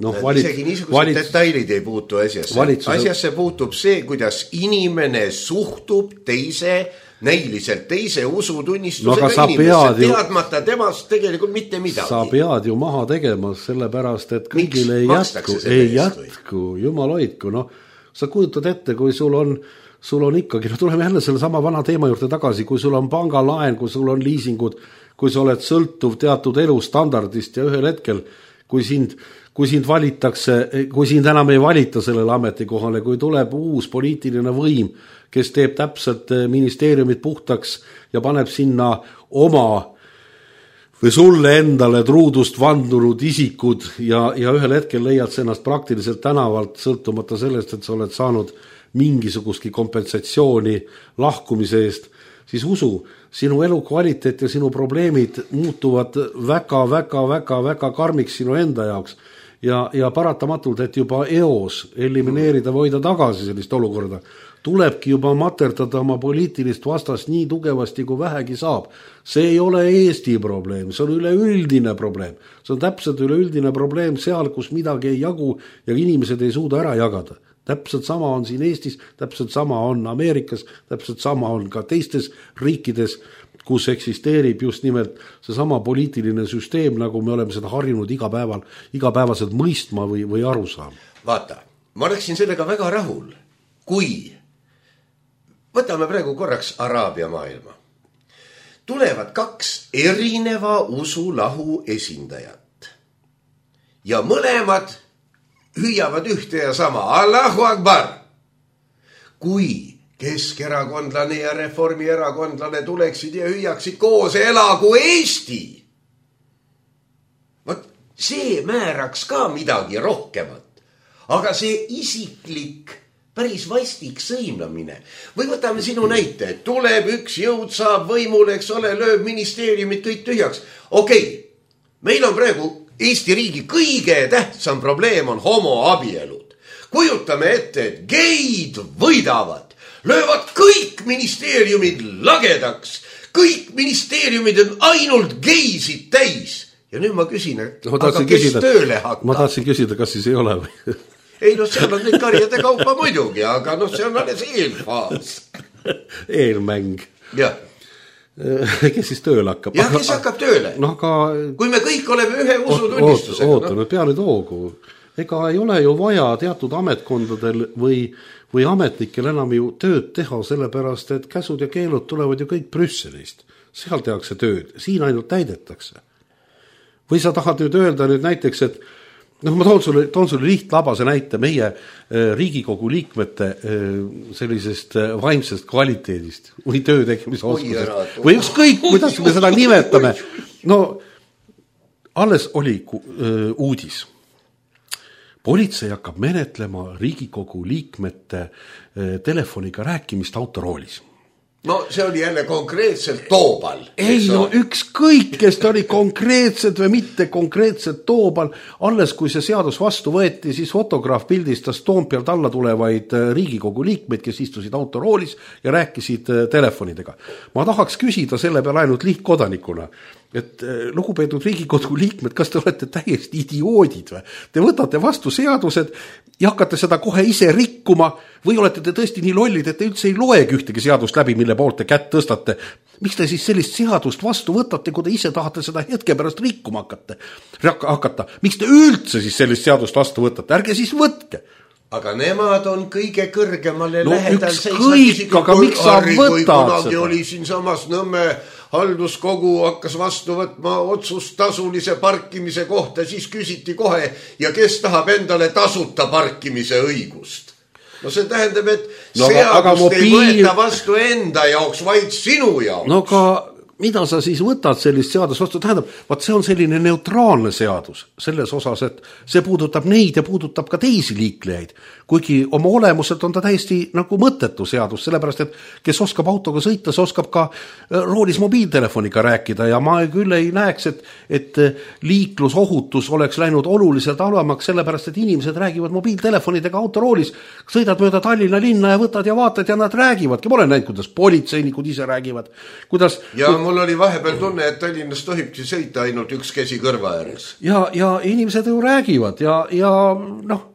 isegi niisugused detailid ei puutu asjasse puutub see, kuidas inimene suhtub näiliselt teise usutunnistusega inimesse, teadmata temast tegelikult mitte midagi. Sa pead ju maha tegema, sellepärast, et kõigile ei jätku, jumal hoidku. Sa kujutad ette, kui sul on ikkagi, tuleme jälle selle sama vana teema juurde tagasi, kui sul on pangalaen, kui sul on liisingud, kui sa oled sõltuv teatud elustandardist ja ühel hetkel, kui sind valitakse, kui sind enam ei valita sellele ametikohale, kui tuleb uus poliitiline võim, kes teeb täpselt ministeeriumid puhtaks ja paneb sinna oma või sulle endale truudust vandunud isikud ja ühel hetkel leiad sa ennast praktiliselt tänavalt, sõltumata sellest, et sa oled saanud mingisugustki kompensatsiooni lahkumise eest, siis usu, sinu elukvaliteet ja sinu probleemid muutuvad väga karmiks sinu enda jaoks ja paratamatult, et juba eos elimineerida või hoida tagasi sellist olukorda, tulebki juba materdada oma poliitilist vastast nii tugevasti, kui vähegi saab. See ei ole Eesti probleem, see on üleüldine probleem. See on täpselt üleüldine probleem seal, kus midagi ei jagu ja inimesed ei suuda ära jagada. Täpselt sama on siin Eestis, täpselt sama on Ameerikas, täpselt sama on ka teistes riikides, kus eksisteerib just nimelt see sama poliitiline süsteem, nagu me oleme seda harjunud igapäevaselt mõistma või aru saama. Vaata, ma oleksin sellega väga rahul, kui võtame praegu korraks Araabia maailma. Tulevad 2 erineva usulahu esindajat ja mõlemad hüüavad ühte ja sama Allahu Akbar. Kui keskerakondlane ja reformierakondlane tuleksid ja hüüaksid koos elagu Eesti. Võt, see määraks ka midagi rohkemat. Aga see isiklik, päris vastik sõimlamine. Või võtame sinu näite, et tuleb üks jõud, saab võimule, eks ole, lööb ministeeriumid kõik tühjaks. Okei, meil on praegu Eesti riigi kõige tähtsam probleem on homoabielud. Kujutame ette, et geid võidavad, löövad kõik ministeeriumid lagedaks. Kõik ministeeriumid on ainult geisid täis. Ja nüüd ma küsin, aga kes tööle hakkab? Ma tahtsin küsida, kas siis ei ole või? Ei, no seal on neid karjade kaupa muidugi, aga no see on alles eelfaas. Eelmäng. Jah. Kes siis tööle hakkab? Jah, kes hakkab tööle? No, aga... Kui me kõik oleme ühe usutunnistusega. Oota, no peale toogu. Ega ei ole ju vaja teatud ametkondadel või ametnikel enam ju tööd teha, sellepärast, et käsud ja keelud tulevad ju kõik Brüsselist. Seal tehakse tööd, siin ainult täidetakse. Või sa tahad nüüd öelda nüüd näiteks, et noh, ma toon sulle lihtlabase näite meie Riigikogu liikmete sellisest vaimsest kvaliteedist või töö tegemise oskusest. Või ükskõik, kuidas me seda nimetame. No, alles oli uudis. Politsei hakkab menetlema Riigikogu liikmete telefoniga rääkimist autoroolis. No see oli jälle konkreetselt Toobal. Ei, no ükskõik, kes ta oli konkreetselt või mitte konkreetselt Toobal. Alles kui see seadus vastu võeti, siis fotograaf pildistas Toompealt alla tulevaid Riigikogu liikmeid, kes istusid autoroolis ja rääkisid telefonidega. Ma tahaks küsida selle peale ainult lihtkodanikuna, et lugupeetud Riigikogu liikmed, kas te olete täiesti idioodid või? Te võtate vastu seadused ja hakkate seda kohe ise rikkuma või olete te tõesti nii lollid, et te üldse ei loegi ühtegi seadust läbi, mille poolt te kätt tõstate. Miks te siis sellist seadust vastu võtate, kui te ise tahate seda hetke pärast rikkuma hakata? Miks te üldse siis sellist seadust vastu võtate? Ärge siis võtke. Aga nemad on kõige kõrgemale no, lähedal. Ükskõik, aga miks sa võtad seda? Oli siin samas Nõmme halduskogu hakkas vastu võtma otsust tasulise parkimise kohta, siis küsiti kohe, ja kes tahab endale tasuta parkimise õigust. No see tähendab, et seadust ei võeta vastu enda jaoks, vaid sinu jaoks. No ka mida sa siis võtad sellist seadust vastu? Tähendab, see on selline neutraalne seadus selles osas, et see puudutab neid ja puudutab ka teisi liiklejaid. Kuigi oma olemuselt on ta täiesti nagu mõttetu seadus, sellepärast, et kes oskab autoga sõita, see oskab ka roolis mobiiltelefoniga rääkida ja ma küll ei näeks, et liiklusohutus oleks läinud oluliselt halvemaks, sellepärast, et inimesed räägivad mobiiltelefonidega autoroolis, sõidad mööda Tallinna linna ja võtad ja vaatad ja nad räägivadki. Ma olen näinud, kuidas politseinikud ise räägivad. Ja mul oli vahepeal tunne, et Tallinnas tohibki sõita ainult üks käsi kõrva ääres. Ja inimesed ju räägivad ja noh,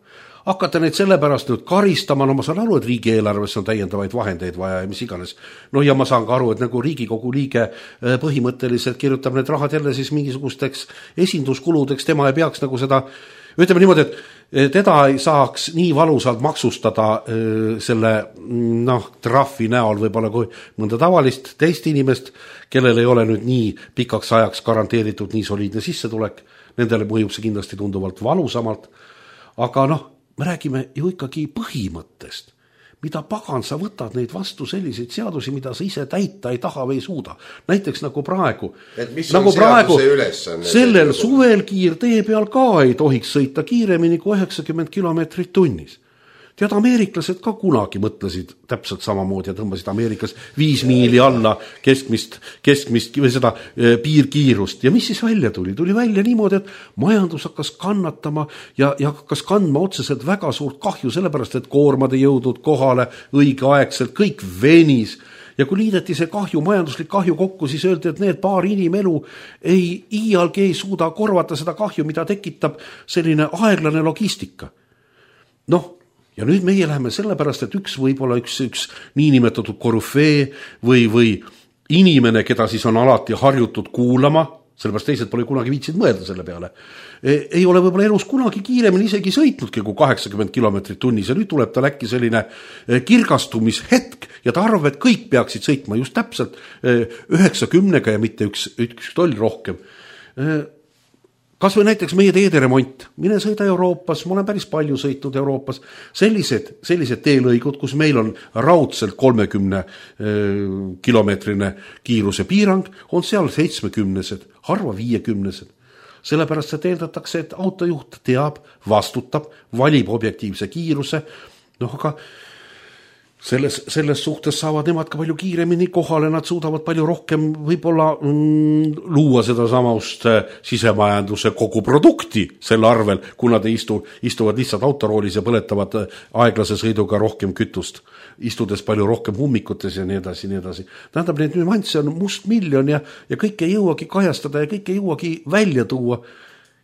hakata neid sellepärast nüüd karistama, no ma saan aru, et riigieelarves on täiendavaid vahendeid vaja ja mis iganes. No ja ma saan ka aru, et nagu Riigikogu liige põhimõtteliselt kirjutab need rahad jälle siis mingisugusteks esinduskuludeks, tema ei peaks nagu seda, ütleme niimoodi, et teda ei saaks nii valusalt maksustada selle trahvi näol võib-olla kui mõnda tavalist teist inimest, kellel ei ole nüüd nii pikaks ajaks garanteeritud nii soliidne sissetulek, nendele mõjub see kindlasti tunduvalt valusamalt, aga me räägime ju ikkagi põhimõttest. Mida pagan sa võtad neid vastu selliseid seadusi, mida sa ise täita ei taha või ei suuda. Näiteks nagu praegu. Et mis on seaduse ülesanne? Sellel suvel kiirtee peal ka ei tohiks sõita kiiremini kui 90 km/h. Tead, ameeriklased ka kunagi mõtlesid täpselt samamoodi ja tõmbasid Ameerikas 5 miili alla keskmist või seda piirkiirust. Ja mis siis välja tuli? Tuli välja niimoodi, et majandus hakkas kannatama ja hakkas kandma otseselt väga suurt kahju, sellepärast, et koormad ei jõudnud kohale õigeaegselt, kõik venis. Ja kui liideti see kahju, majanduslik kahju kokku, siis öeldi, et need paar inimelu iialgi ei suuda korvata seda kahju, mida tekitab selline aeglane logistika. Noh, ja nüüd meie läheme sellepärast, et võib-olla üks niinimetatud korüfee või inimene, keda siis on alati harjutud kuulama, sellepärast teised pole kunagi viitsid mõelda selle peale, ei ole võib-olla elus kunagi kiiremini isegi sõitnudki kui 80 kilomeetrit tunnis ja nüüd tuleb tal äkki selline kirgastumishetk ja ta arvab, et kõik peaksid sõitma just täpselt 90 ja mitte üks toll rohkem. Kas või näiteks meie teederemont, mine sõida Euroopas, ma olen päris palju sõitnud Euroopas, sellised teelõigud, kus meil on raudselt 30 kilomeetrine kiiruse piirang, on seal 70-sed, harva 50-sed. Sellepärast see eeldatakse, et autojuht teab, vastutab, valib objektiivse kiiruse, aga selles suhtes saavad nemad ka palju kiiremini kohale, nad suudavad palju rohkem võib-olla luua seda samast sisemajanduse kogu produkti selle arvel, kui nad istuvad lihtsalt autoroolis ja põletavad aeglase sõiduga rohkem kütust, istudes palju rohkem hummikutes ja nii edasi, nii edasi. Tähendab, need nüansse on mustmiljon ja kõik ei jõuagi kajastada ja kõik ei jõuagi välja tuua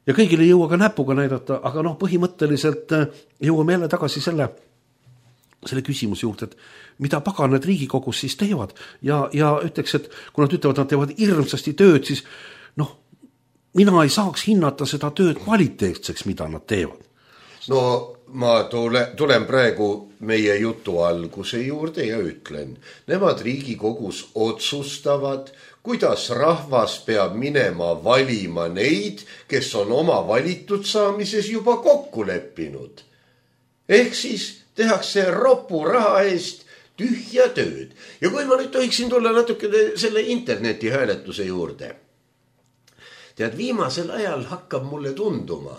ja kõigil ei jõua ka näpuga näidata, aga põhimõtteliselt jõuame jälle tagasi selle küsimus juurde, et mida paganad Riigikogus siis teevad ja ütleks, et kui nad ütlevad, nad teevad hirmsasti tööd, siis mina ei saaks hinnata seda tööd kvaliteetseks, mida nad teevad. No ma tulen praegu meie jutu alguse juurde ja ütlen, nemad Riigikogus otsustavad, kuidas rahvas peab minema valima neid, kes on oma valitud saamises juba kokku leppinud. Ehk siis tehakse ropu raha eest tühja tööd. Ja kui ma nüüd tohiksin tulla natuke selle interneti hääletuse juurde. Tead, viimasel ajal hakkab mulle tunduma,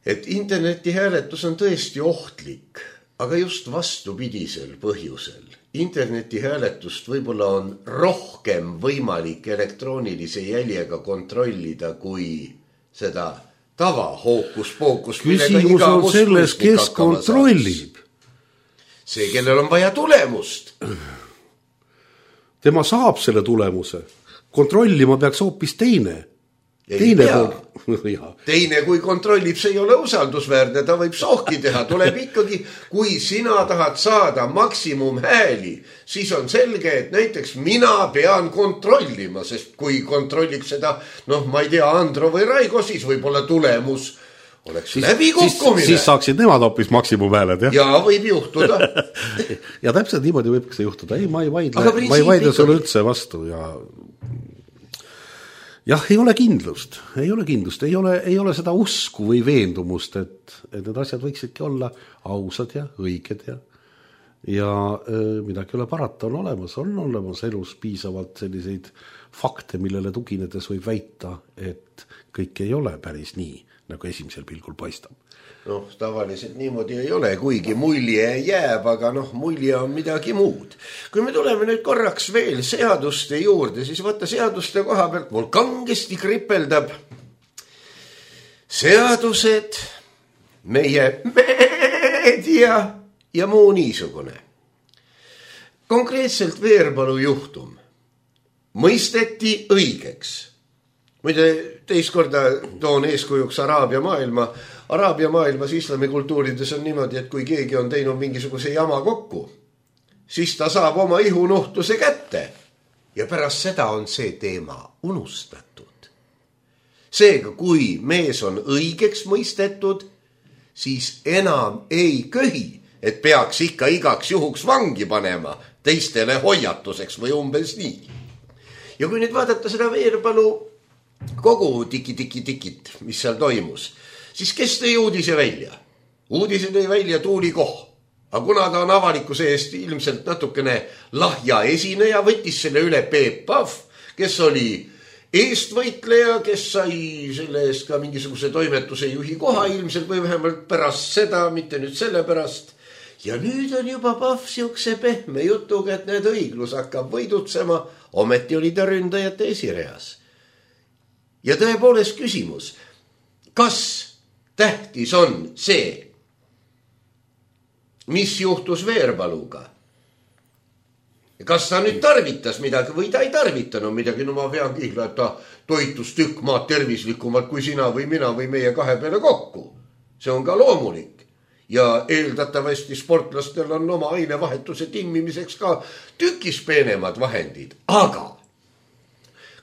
et interneti hääletus on tõesti ohtlik, aga just vastupidisel põhjusel. Interneti hääletust võib-olla on rohkem võimalik elektroonilise jäljega kontrollida kui seda tava hookus-pookus. Küsimus on selles, kes kontrollib. See, kellel on vaja tulemust. Tema saab selle tulemuse. Kontrollima peaks hoopis teine. Teine, kui kontrollib, see ei ole usaldusväärne, ta võib sohki teha. Tuleb ikkagi, kui sina tahad saada maksimum hääli, siis on selge, et näiteks mina pean kontrollima, sest kui kontrolliks seda, ma ei tea, Andro või Raigo, siis võib-olla tulemus oleks läbi kukkumine. Siis saaksid nemad hoopis maksimumhääled, jah? Ja võib juhtuda. Ja täpselt niimoodi võibki see juhtuda. Ei, ma ei vaidle sulle üldse vastu ja jah, ei ole kindlust, ei ole seda usku või veendumust, et need asjad võiksidki olla ausad ja õiged ja midagi ole parata on olemas elus piisavalt selliseid fakte, millele tuginedes võib väita, et kõik ei ole päris nii, nagu esimesel pilgul paistab. Tavaliselt niimoodi ei ole, kuigi mulje jääb, aga mulje on midagi muud. Kui me tuleme nüüd korraks veel seaduste juurde, siis vaata seaduste koha pealt mul kangesti kripeldab seadused, meie meedia ja muu niisugune. Konkreetselt Veerpalu juhtum mõisteti õigeks. Muide, teist korda toon eeskujuks Araabia maailmas islamikultuurides on niimoodi, et kui keegi on teinud mingisuguse jama kokku, siis ta saab oma ihunuhtuse kätte ja pärast seda on see teema unustatud. Seega, kui mees on õigeks mõistetud, siis enam ei köhi, et peaks ikka igaks juhuks vangi panema teistele hoiatuseks või umbes nii. Ja kui nüüd vaadata seda Veerpalu kogu tikit, mis seal toimus, siis kes tõi uudise välja? Uudise tõi välja Tuuli Koh. Aga kuna ta on avalikkuse eest ilmselt natukene lahja esineja, võttis selle üle Peep Pahv, kes oli eestvõitleja, kes sai selle eest ka mingisuguse toimetuse juhi koha ilmselt või vähemalt pärast seda, mitte nüüd selle pärast. Ja nüüd on juba Pahv siukse pehme jutuga, et need õiglus hakkab võidutsema, ometi oli ta ründajate esireas. Ja tõepoolest küsimus, kas tähtis on see, mis juhtus Veerpaluga? Kas ta nüüd tarvitas midagi või ta ei tarvitanud midagi? No ma vean kihla, et ta toitus tükk maad tervislikumalt kui sina või mina või meie kahe peale kokku. See on ka loomulik. Ja eeldatavasti sportlastel on oma ainevahetuse timmimiseks ka tükis peenemad vahendid. Aga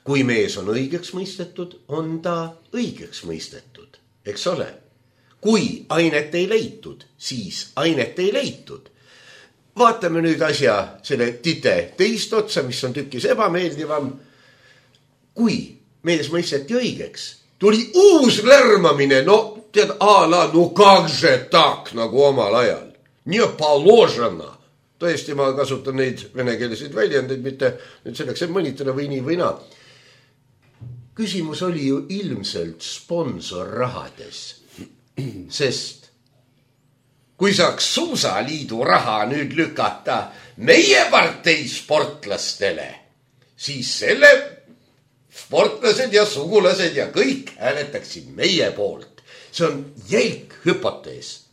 kui mees on õigeks mõistetud, on ta õigeks mõistetud. Eks ole? Kui ainet ei leitud, siis ainet ei leitud. Vaatame nüüd asja selle tite teist otsa, mis on tükis ebameeldivam. Kui mees mõisteti õigeks, tuli uus lärmamine, no tead, no kakže tak, nagu omal ajal. Nii paložena. Tõesti, ma kasutan neid venekeelseid väljendeid, mitte nüüd selleks, et mõnitada või nii või naa. Küsimus oli ju ilmselt sponsorrahades. Sest kui saaks Suusaliidu raha nüüd lükata meie partei sportlastele, siis selle sportlased ja sugulased ja kõik hääletaksid meie poolt. See on jälk hüpotees.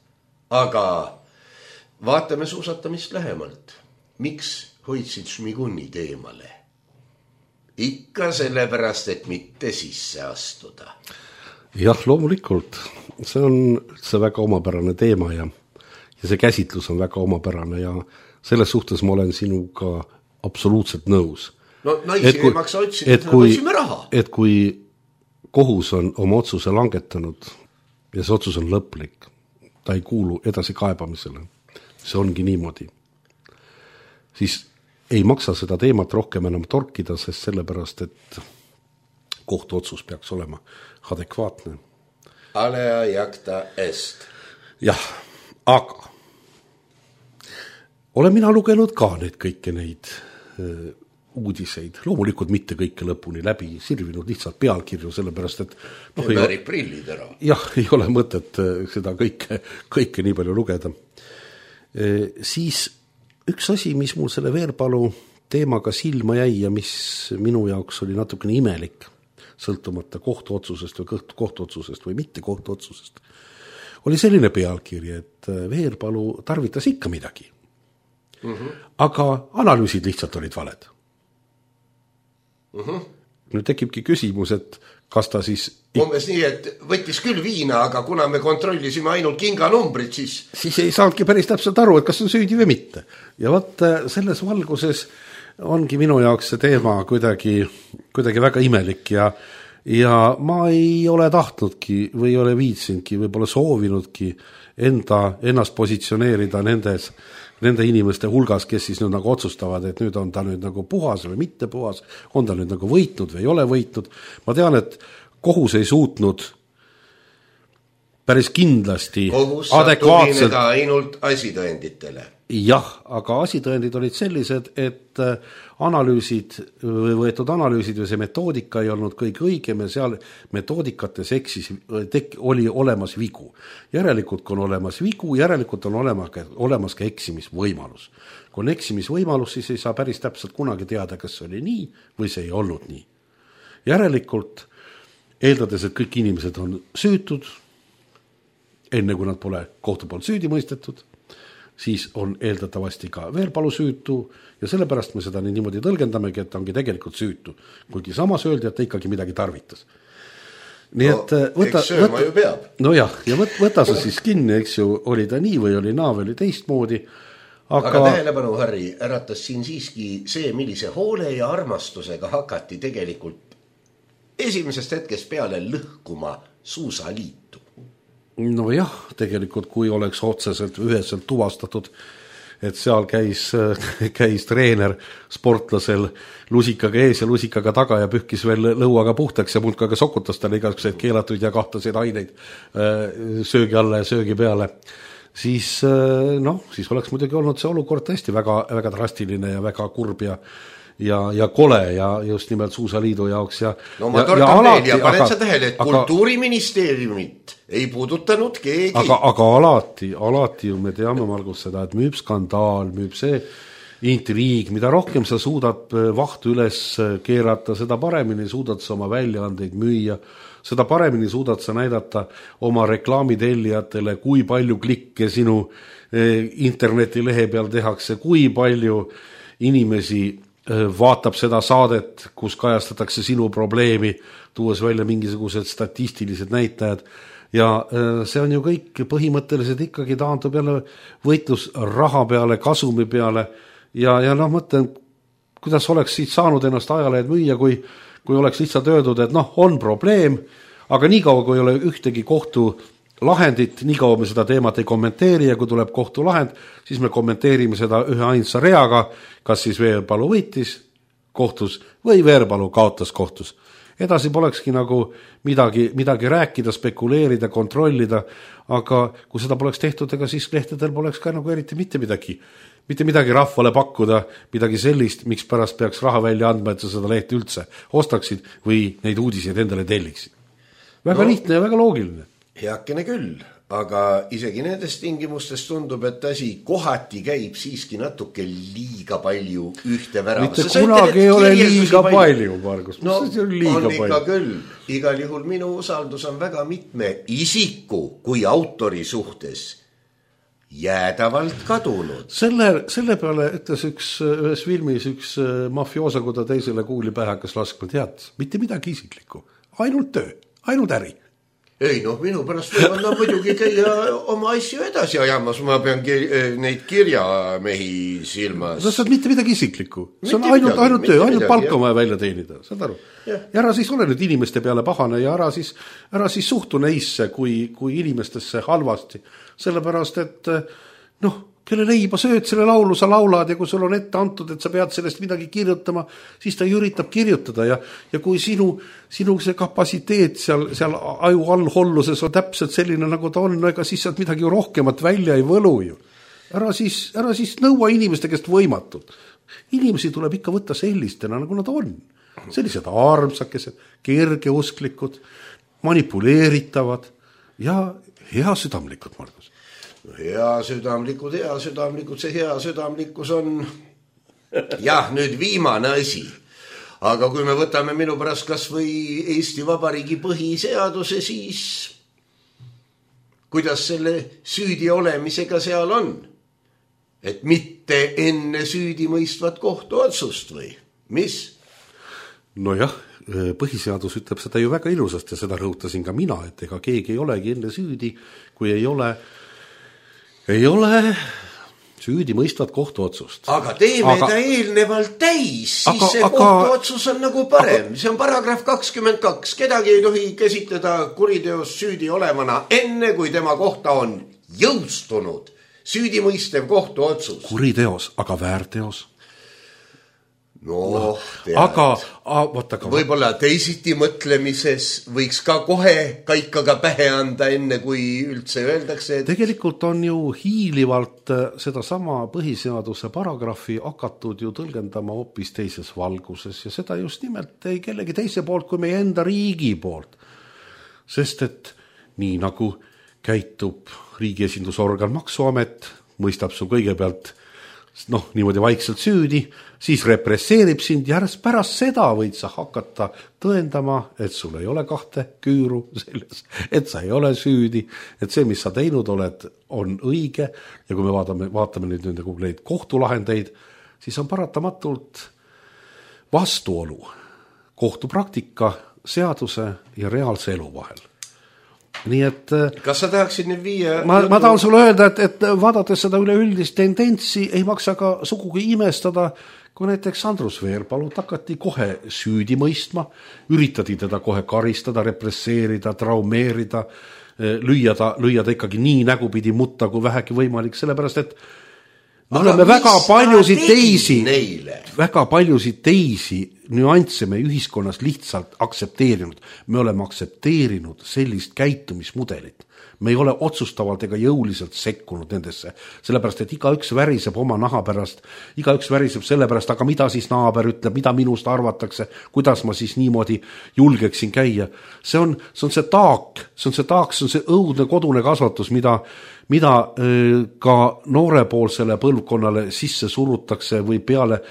Aga vaatame suusatamist lähemalt. Miks hoidsid Šmigunid eemale? Ikka sellepärast, et mitte sisse astuda. Jah, loomulikult. See on üldse väga omapärane teema ja see käsitlus on väga omapärane ja selles suhtes ma olen sinuga absoluutselt nõus. No naisi ei maksa otsida, et otsime raha. Et kui kohus on oma otsuse langetanud ja see otsus on lõplik, ta ei kuulu edasi kaebamisele, see ongi niimoodi, siis ei maksa seda teemat rohkem enam torkida, sest sellepärast, et kohtuotsus peaks olema adekvaatne. Alea jacta est. Jah, aga olen mina lugenud ka kõiki neid uudiseid. Loomulikult mitte kõike lõpuni läbi, sirvinud lihtsalt pealkirju, sellepärast, et väärib prillid ära. Jah, ei ole mõtet seda kõike nii palju lugeda. Siis üks asi, mis mul selle Veerpalu teemaga silma jäi ja mis minu jaoks oli natukene imelik, sõltumata kohtuotsusest või mitte kohtuotsusest, oli selline pealkiri, et Veerpalu tarvitas ikka midagi. Aga analüüsid lihtsalt olid valed. Nüüd tekibki küsimus, et kas ta siis umbes nii, et võttis küll viina, aga kuna me kontrollisime ainult kinganumbrit, siis ei saanudki päris täpselt aru, et kas on süüdi või mitte. Ja võt selles valguses ongi minu jaoks see teema kuidagi väga imelik ja ma ei ole tahtnudki või ei ole viitsinudki, võib-olla soovinudki ennast positsioneerida nende inimeste hulgas, kes siis nüüd nagu otsustavad, et nüüd on ta nüüd nagu puhas või mitte puhas, on ta nüüd nagu võitnud või ei ole võitnud. Ma tean, et kohus ei suutnud päris kindlasti kohus saab tugineda ainult asitõenditele. Jah, aga asitõendid olid sellised, et võetud analüüsid või see metoodika ei olnud kõige õigem ja seal metoodikates oli olemas vigu. Järelikult, kui on olemas vigu, järelikult on olemas ka eksimisvõimalus. Kui on eksimisvõimalus, siis ei saa päris täpselt kunagi teada, kas see oli nii või see ei olnud nii. Järelikult, eeldades, et kõik inimesed on süütud, enne kui nad pole kohtu poolt süüdi mõistetud, siis on eeldatavasti ka Veerpalu süütu ja sellepärast me seda niimoodi tõlgendamegi, et ta ongi tegelikult süütu. Kuigi samas öeldi, et ta ikkagi midagi tarvitas. Nii et no jah, ja võta sa siis kinni, eks ju, oli ta nii või oli naa või oli teistmoodi. Aga tähelepanu, Harri, äratas siin siiski see, millise hoole ja armastusega hakati tegelikult esimesest hetkest peale lõhkuma Suusaliitu. No jah, tegelikult kui oleks otseselt üheselt tuvastatud, et seal käis treener sportlasel lusikaga ees ja lusikaga taga ja pühkis veel lõuaga puhtaks ja mulkaga sokutas talle igasuguseid keelatuid ja kahtaseid aineid söögi alla ja söögi peale, siis oleks muidugi olnud see olukord tõesti väga, väga drastiline ja väga kurb ja kole ja just nimelt Suusaliidu jaoks no ma torkan veel ja paned sa tähele, et Kultuuriministeeriumit ei puudutanud keegi. Aga alati ju me teame, Margus, seda, et müüb skandaal, müüb see intriig, mida rohkem sa suudad vahtu üles keerata, seda paremini suudad sa oma väljaandeid müüa, seda paremini suudad sa näidata oma reklaamitellijatele, kui palju klikke sinu internetilehe peal tehakse, kui palju inimesi vaatab seda saadet, kus kajastatakse sinu probleemi, tuues välja mingisugused statistilised näitajad. Ja see on ju kõik põhimõtteliselt ikkagi taandub jälle võitlus raha peale, kasumi peale ja mõtlen, kuidas oleks siit saanud ennast ajalehed müüa, kui oleks lihtsalt öeldud, et on probleem, aga niikaua, kui ei ole ühtegi kohtu lahendit, niikaua me seda teemat ei kommenteeri ja kui tuleb kohtulahend, siis me kommenteerime seda ühe ainsa reaga, kas siis Veerpalu võitis kohtus või Veerpalu kaotas kohtus. Edasi polekski nagu midagi rääkida, spekuleerida, kontrollida, aga kui seda poleks tehtud, ega siis lehtedel poleks ka nagu eriti mitte midagi rahvale pakkuda, midagi sellist, miks pärast peaks raha välja andma, et sa seda lehti üldse ostaksid või neid uudiseid endale telliksid. Väga lihtne ja väga loogiline. Heakene küll, aga isegi nendest tingimustest tundub, et asi kohati käib siiski natuke liiga palju ühte värava. Mitte kunagi ei ole liiga palju, Margus. No on ikka küll. Igal juhul minu usaldus on väga mitme isiku kui autori suhtes jäädavalt kadunud. Selle peale ütles ühes filmis üks mafiosa, kui ta teisele kuuli pähe hakkas laskma, tead, mitte midagi isiklikku, ainult töö, ainult äri. Ei, minu pärast võivad muidugi käia oma asju edasi ajamas, ma pean neid kirjamehi silmas. See on mitte midagi isiklikku, see on ainult töö, ainult palka vaja välja teenida, saad aru? Ja ära siis ole nüüd inimeste peale pahane ja ära siis suhtu neisse kui inimestesse halvasti, sellepärast, et kelle leiba sööd, selle laulu sa laulad ja kui sul on ette antud, et sa pead sellest midagi kirjutama, siis ta üritab kirjutada ja kui sinu see kapatsiteet seal aju allholluses on täpselt selline, nagu ta on, ega siis sealt midagi rohkemat välja ei võlu ju. Ära siis nõua inimeste käest võimatult. Inimesi tuleb ikka võtta sellistena, nagu nad on. Sellised armsakesed, kergeusklikud, manipuleeritavad ja hea südamlikud, Margus. Hea südamlikud, see hea südamlikkus on nüüd viimane asi. Aga kui me võtame minu pärast kas või Eesti Vabariigi põhiseaduse, siis kuidas selle süüdi olemisega seal on? Et mitte enne süüdi mõistvat kohtuotsust või? Mis? Nojah, põhiseadus ütleb seda ju väga ilusasti ja seda rõhutasin ka mina, et ega keegi ei olegi enne süüdi, kui ei ole süüdi mõistvat kohtuotsust. Aga teeme ta eelnevalt täis, siis see kohtuotsus on nagu parem. See on paragrahv 22. Kedagi ei tohi käsitleda kuriteos süüdi olevana enne, kui tema kohta on jõustunud süüdimõistev kohtuotsus. Kuriteos, aga väärteos? Tead, võib-olla teisiti mõtlemises võiks ka kohe kaikaga pähe anda enne, kui üldse öeldakse, et... Tegelikult on ju hiilivalt seda sama põhiseaduse paragrahvi hakatud ju tõlgendama hoopis teises valguses ja seda just nimelt ei kellegi teise poolt kui meie enda riigi poolt. Sest et nii nagu käitub riigi esindusorgan Maksuamet, mõistab su kõigepealt niimoodi vaikselt süüdi, siis represseerib sind ja pärast seda võid sa hakata tõendama, et sul ei ole kahte küüru selles, et sa ei ole süüdi, et see, mis sa teinud oled, on õige ja kui me vaatame nüüd neid kohtulahendeid, siis on paratamatult vastuolu kohtupraktika, seaduse ja reaalse elu vahel. Nii et kas sa tahaksid nüüd viia... Ma tahan sulle öelda, et vaadates seda üleüldist tendentsi ei maksa ka sugugi imestada, kui näiteks Andrus Veerpalut hakati kohe süüdi mõistma, üritati teda kohe karistada, represseerida, traumeerida, lüüa ta ikkagi nii nägupidi mutta kui vähegi võimalik, sellepärast et me oleme väga paljusid teisi nüansse me ühiskonnas lihtsalt aktsepteerinud. Me oleme aktsepteerinud sellist käitumismudelit. Me ei ole otsustavalt ega jõuliselt sekkunud nendesse, sellepärast, et igaüks väriseb oma naha pärast, igaüks väriseb selle pärast, aga mida siis naaber ütleb, mida minust arvatakse, kuidas ma siis niimoodi julgeksin käia. See on see taak, see on see õudne kodune kasvatus, mida ka noorepoolsele põlvkonnale sisse surutakse või peale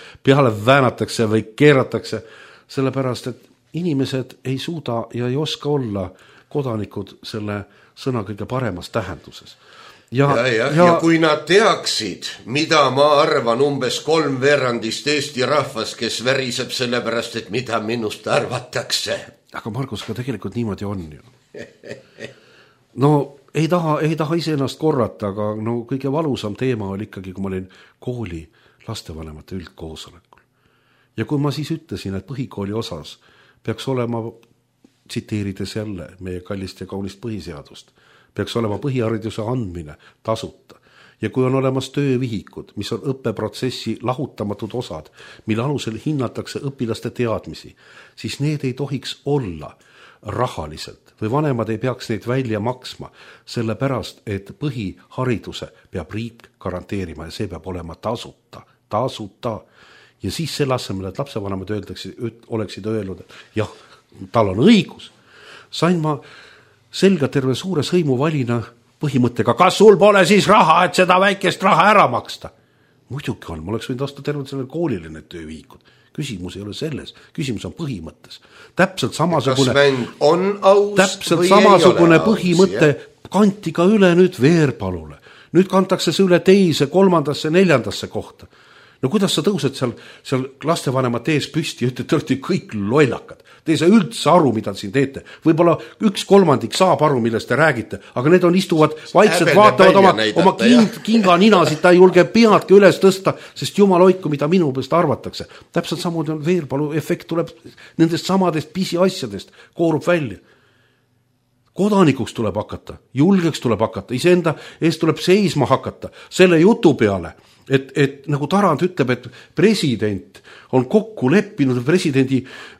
väänatakse või keeratakse, sellepärast, et inimesed ei suuda ja ei oska olla kodanikud selle sõna kõige paremas tähenduses. Ja kui nad teaksid, mida ma arvan umbes 3/4 Eesti rahvast, kes väriseb selle pärast, et mida minust arvatakse. Aga Margus, ka tegelikult niimoodi on ju. No ei taha iseennast korrata, aga no kõige valusam teema oli ikkagi, kui ma olin kooli lastevanemate üldkoosolekul. Ja kui ma siis ütlesin, et põhikooli osas peaks olema, tsiteerides jälle meie kallist ja kaunist põhiseadust, peaks olema põhihariduse andmine tasuta. Ja kui on olemas töövihikud, mis on õppeprotsessi lahutamatud osad, mille alusel hinnatakse õpilaste teadmisi, siis need ei tohiks olla rahaliselt või vanemad ei peaks neid välja maksma, sellepärast, et põhihariduse peab riik garanteerima ja see peab olema tasuta. Ja siis selle asemel, et lapsevanemad oleksid öelnud, et jah, tal on õigus, sain ma selga terve suure sõimuvalina põhimõttega, kas sul pole siis raha, et seda väikest raha ära maksta? Muidugi on, ma oleks võinud osta terve sellele koolile need töövihikud. Küsimus ei ole selles, küsimus on põhimõttes. Täpselt samasugune põhimõte kanti ka üle nüüd Veerpalule. Nüüd kantakse see üle teise, 3., 4. kohta. No kuidas sa tõused seal lastevanemate ees püsti ja ütled, te olete kõik lollakad. Te ei saa üldse aru, mida siin teete. Võib-olla 1/3 saab aru, millest te räägite, aga need istuvad vaikselt, vaatavad oma kinganinasid, ta ei julge peadki üles tõsta, sest jumal hoidku, mida minu peast arvatakse. Täpselt samuti on Veerpalu efekt tuleb nendest samadest pisiasjadest, koorub välja. Kodanikuks tuleb hakata, julgeks tuleb hakata, iseenda eest tuleb seisma hakata selle jutu peale, et nagu Tarand ütleb, et president on kokku leppinud,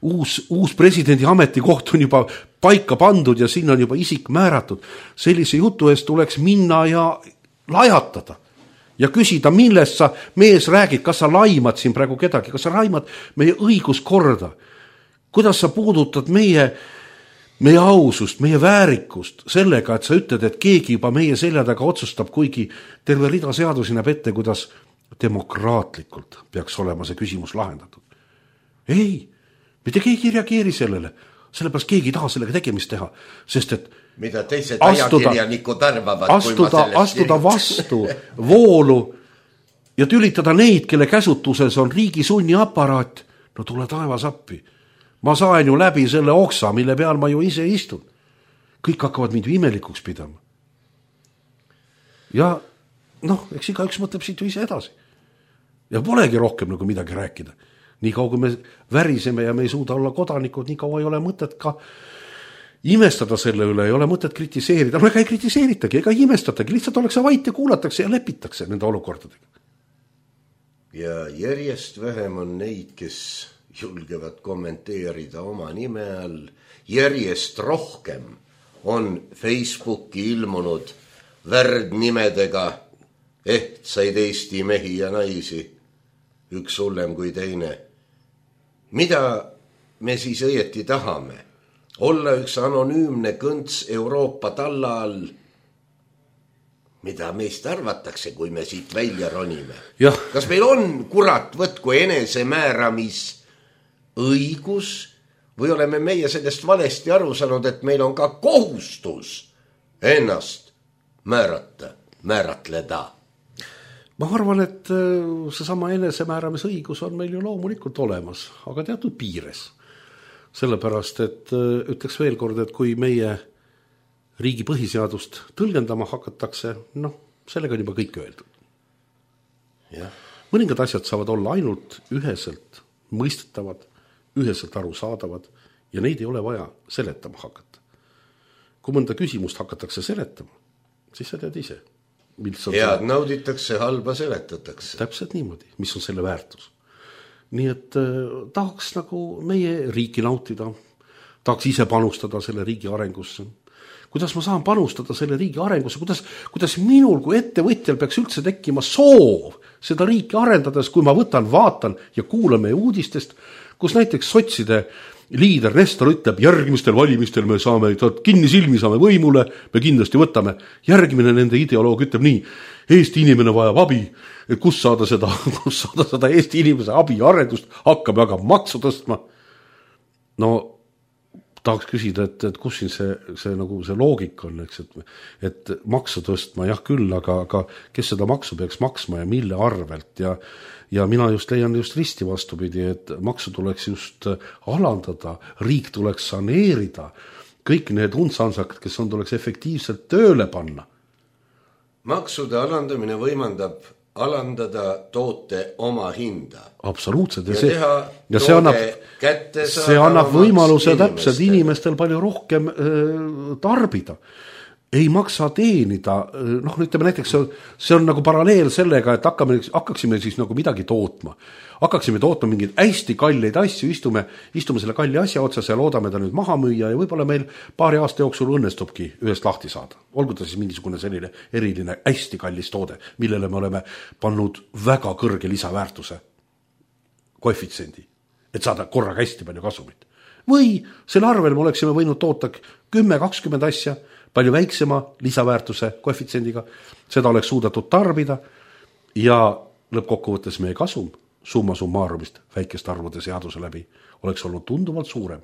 uus presidendi ametikoht on juba paika pandud ja sinna on juba isik määratud. Sellise jutu eest tuleks minna ja lajatada ja küsida, millest sa mees räägid, kas sa laimad siin praegu kedagi, kas sa laimad meie õiguskorda, kuidas sa puudutad meie ausust, meie väärikust sellega, et sa ütled, et keegi juba meie selja taga otsustab, kuigi terve rida seadusi näeb ette, kuidas demokraatlikult peaks olema see küsimus lahendatud. Ei, mitte keegi ei reageeri sellele, sellepärast keegi ei taha sellega tegemist teha, sest et mida teised ajakirjanikud arvavad, astuda vastu voolu ja tülitada neid, kelle käsutuses on riigi sunniaparaat, no tule taevas appi. Ma saan ju läbi selle oksa, mille peal ma ju ise istun. Kõik hakkavad mind imelikuks pidama. Ja eks igaüks mõtleb siit ju ise edasi. Ja polegi rohkem nagu midagi rääkida. Nii kaua, kui me väriseme ja me ei suuda olla kodanikud, nii kaua ei ole mõtet ka imestada selle üle, ei ole mõtet kritiseerida. No ega ei kritiseeritagi, ega ei imestatagi, lihtsalt ollakse vait ja kuulatakse ja lepitakse nende olukordadega. Ja järjest vähem on neid, kes julgevad kommenteerida oma nime all. Järjest rohkem on Facebooki ilmunud värdnimedega ehtsaid Eesti mehi ja naisi, üks hullem kui teine. Mida me siis õieti tahame? Olla üks anonüümne kõnts Euroopa talla all? Mida meist arvatakse, kui me siit välja ronime? Ja. Kas meil on, kurat, võtku enesemääramis õigus või oleme meie sellest valesti aru saanud, et meil on ka kohustus ennast määratleda? Ma arvan, et seesama enesemääramisõigus on meil ju loomulikult olemas, aga teatud piires. Sellepärast, et ütleks veel kord, et kui meie riigi põhiseadust tõlgendama hakatakse, sellega on juba kõik öeldud. Ja. Mõningad asjad saavad olla ainult üheselt mõistetavad, üheselt arusaadavad ja neid ei ole vaja seletama hakata. Kui mõnda küsimust hakatakse seletama, siis sa tead ise. Head nauditakse, halba seletatakse. Täpselt niimoodi, mis on selle väärtus. nii et tahaks nagu meie riiki nautida, tahaks ise panustada selle riigi arengusse. Kuidas ma saan panustada selle riigi arengusse, kuidas minul kui ettevõtjal peaks üldse tekkima soov seda riiki arendades, kui ma vaatan ja kuulan meie uudistest, kus näiteks sotside liider Nestor ütleb, järgmistel valimistel me saame, kinni silmi saame võimule, me kindlasti võtame. Järgmine nende ideoloog ütleb nii, Eesti inimene vajab abi, et kus saada seda Eesti inimese abi arendust, hakkab aga maksu tõstma. No tahaks küsida, et kus siin see nagu see loogika on, eks, et maksu tõstma, jah küll, aga kes seda maksu peaks maksma ja mille arvelt ja mina just leian just risti vastupidi, et maksu tuleks just alandada, riik tuleks saneerida, kõik need untsansakad, kes on, tuleks efektiivselt tööle panna. Maksude alandamine võimaldab alandada toote oma hinda. Absoluutselt. Ja see annab võimaluse täpselt inimestel palju rohkem tarbida. Ei maksa teenida, ütleme näiteks, see on nagu paralleel sellega, et hakkaksime siis nagu midagi tootma. Hakkaksime tootma mingeid hästi kalleid asju, istume selle kalli asja otsas ja loodame ta nüüd maha müüa ja võib-olla meil paari aasta jooksul õnnestubki ühest lahti saada. Olgu ta siis mingisugune selline eriline hästi kallis toode, millele me oleme pannud väga kõrge lisaväärtuse koefitsiendi, et saada korraga hästi palju kasumit. Või selle arvel me oleksime võinud toota 10-20 asja, palju väiksema lisaväärtuse koefitsiendiga, seda oleks suudetud tarbida ja lõppkokkuvõttes meie kasum summa summarumist väikeste arvude seaduse läbi oleks olnud tunduvalt suurem.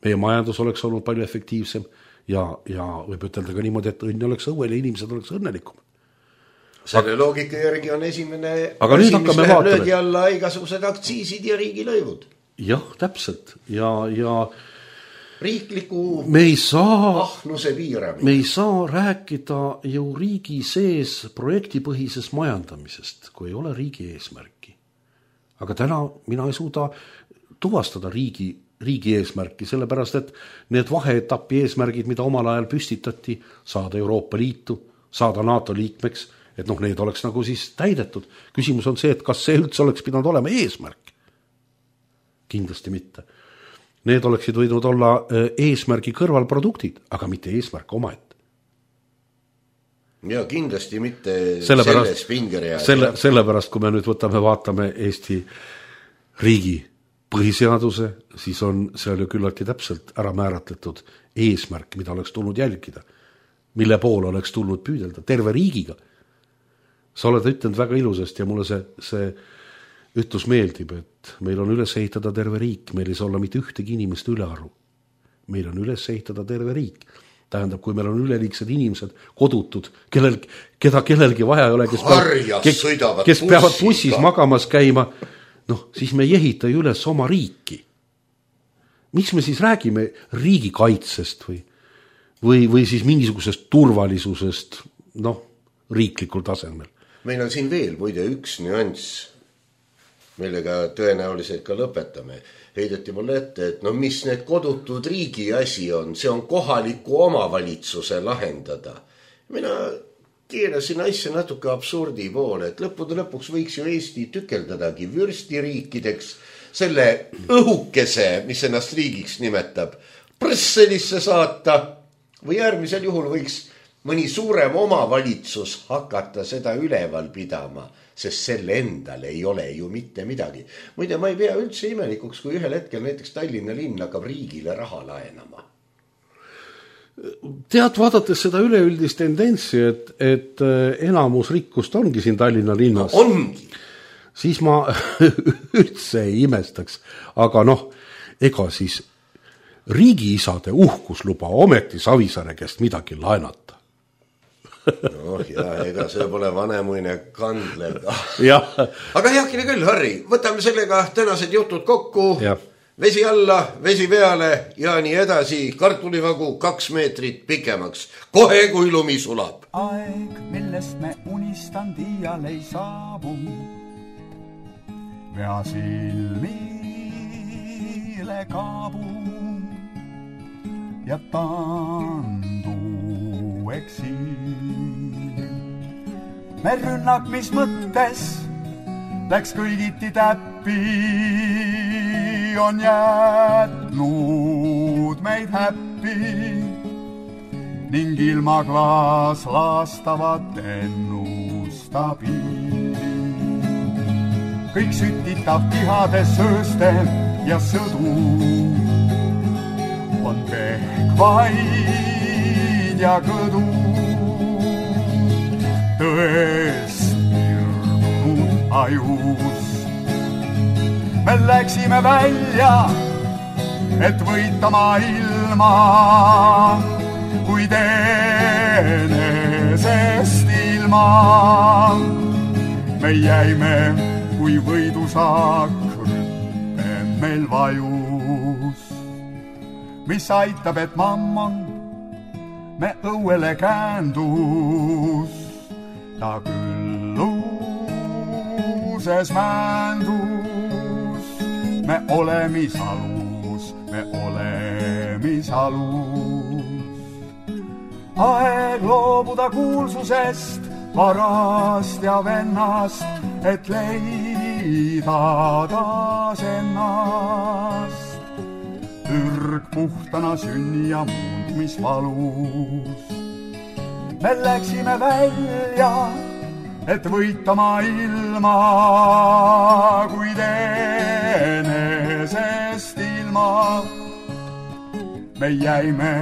Meie majandus oleks olnud palju efektiivsem ja võib ütelda ka niimoodi, et õnn oleks õuel ja inimesed oleks õnnelikum. Selle loogika järgi on esimene aga asi, mis läheb löögi alla igasugused aktsiisid ja riigilõivud. Jah, täpselt. Ja riikliku ahnuse piiramine. Me ei saa rääkida ju riigi sees projektipõhisest majandamisest, kui ei ole riigi eesmärki. Aga täna mina ei suuda tuvastada riigi eesmärki, sellepärast et need vaheetapi eesmärgid, mida omal ajal püstitati, saada Euroopa Liitu, saada NATO liikmeks, et need oleks nagu siis täidetud. Küsimus on see, et kas see üldse oleks pidanud olema eesmärk? Kindlasti mitte. Need oleksid võinud olla eesmärgi kõrvalproduktid, aga mitte eesmärk omaette. Ja kindlasti mitte selles pingereas. Sellepärast, kui me nüüd vaatame Eesti riigi põhiseaduse, siis on seal ju küllaltki täpselt ära määratletud eesmärk, mida oleks tulnud jälgida, mille poole oleks tulnud püüdelda terve riigiga. Sa oled ütelnud väga ilusasti ja mulle see ütlus meeldib, et meil on üles ehitada terve riik, meil ei saa olla mitte ühtegi inimest ülearu. Meil on üles ehitada terve riik. Tähendab, kui meil on üleliigsed inimesed kodutud, keda kellelgi vaja ei ole, kes peavad bussis magamas käima, siis me ei ehita ju üles oma riiki. Miks me siis räägime riigikaitsest või siis mingisugusest turvalisusest, riiklikul tasemel? Meil on siin veel muide üks nüanss, millega tõenäoliselt ka lõpetame. Heideti mulle ette, et mis need kodutud riigi asi on, see on kohaliku omavalitsuse lahendada. Mina keerasin asja natuke absurdi poole, et lõppude lõpuks võiks ju Eesti tükeldadagi vürstiriikideks, selle õhukese, mis ennast riigiks nimetab, Brüsselisse saata või järgmisel juhul võiks mõni suurem omavalitsus hakata seda üleval pidama, sest selle endal ei ole ju mitte midagi. Muide, ma ei pea üldse imelikuks, kui ühel hetkel näiteks Tallinna linn hakkab riigile raha laenama. Tead, vaadates seda üleüldist tendentsi, et enamus rikkust ongi siin Tallinna linnas. Ongi. Siis ma üldse ei imestaks. Aga ega siis riigiisade uhkusluba ometi Savisaare käest midagi laenata. Ega see pole vanemuine kandlev. Aga heakene küll, Harri, võtame sellega tänased jutud kokku. Ja. Vesi alla, vesi peale ja nii edasi. Kartulivagu 2 meetrit pikemaks. Kohe kui lumi sulab. Aeg, millest me unistan iial ei saabu. Vea silmile kaabu ja tandu eksiil. Me rünnak, mis mõttes läks kõigiti täpp. appi on jätnud meid häppi ning ilma klaas laastavat ennustab ilmi. Kõik sütitab tihades sööstem ja sõdu on pehkvaid ja kõdu. Tõest irdunud ajus me läksime välja, et võitama ilma, kuid enesest ilma. Me jäime, kui võidusaak rüppe meil vajus, mis aitab, et mammon me õuele käändus. Ta küll luuses määndus, me olemisalus, me olemisalus. Aeg loobuda kuulsusest, varast ja vennast, et leida taas ennast. Ürg puhtana sünni ja muundmisvalus. Me läksime välja, et võitama ilma, kuid enesest ilma. Me jäime,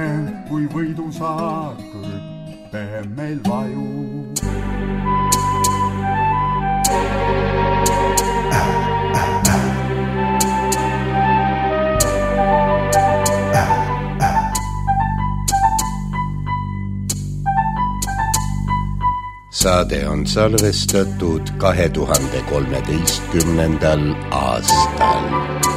kui võidusaak rüppe meil vajus. Saade on salvestatud 2013. aastal.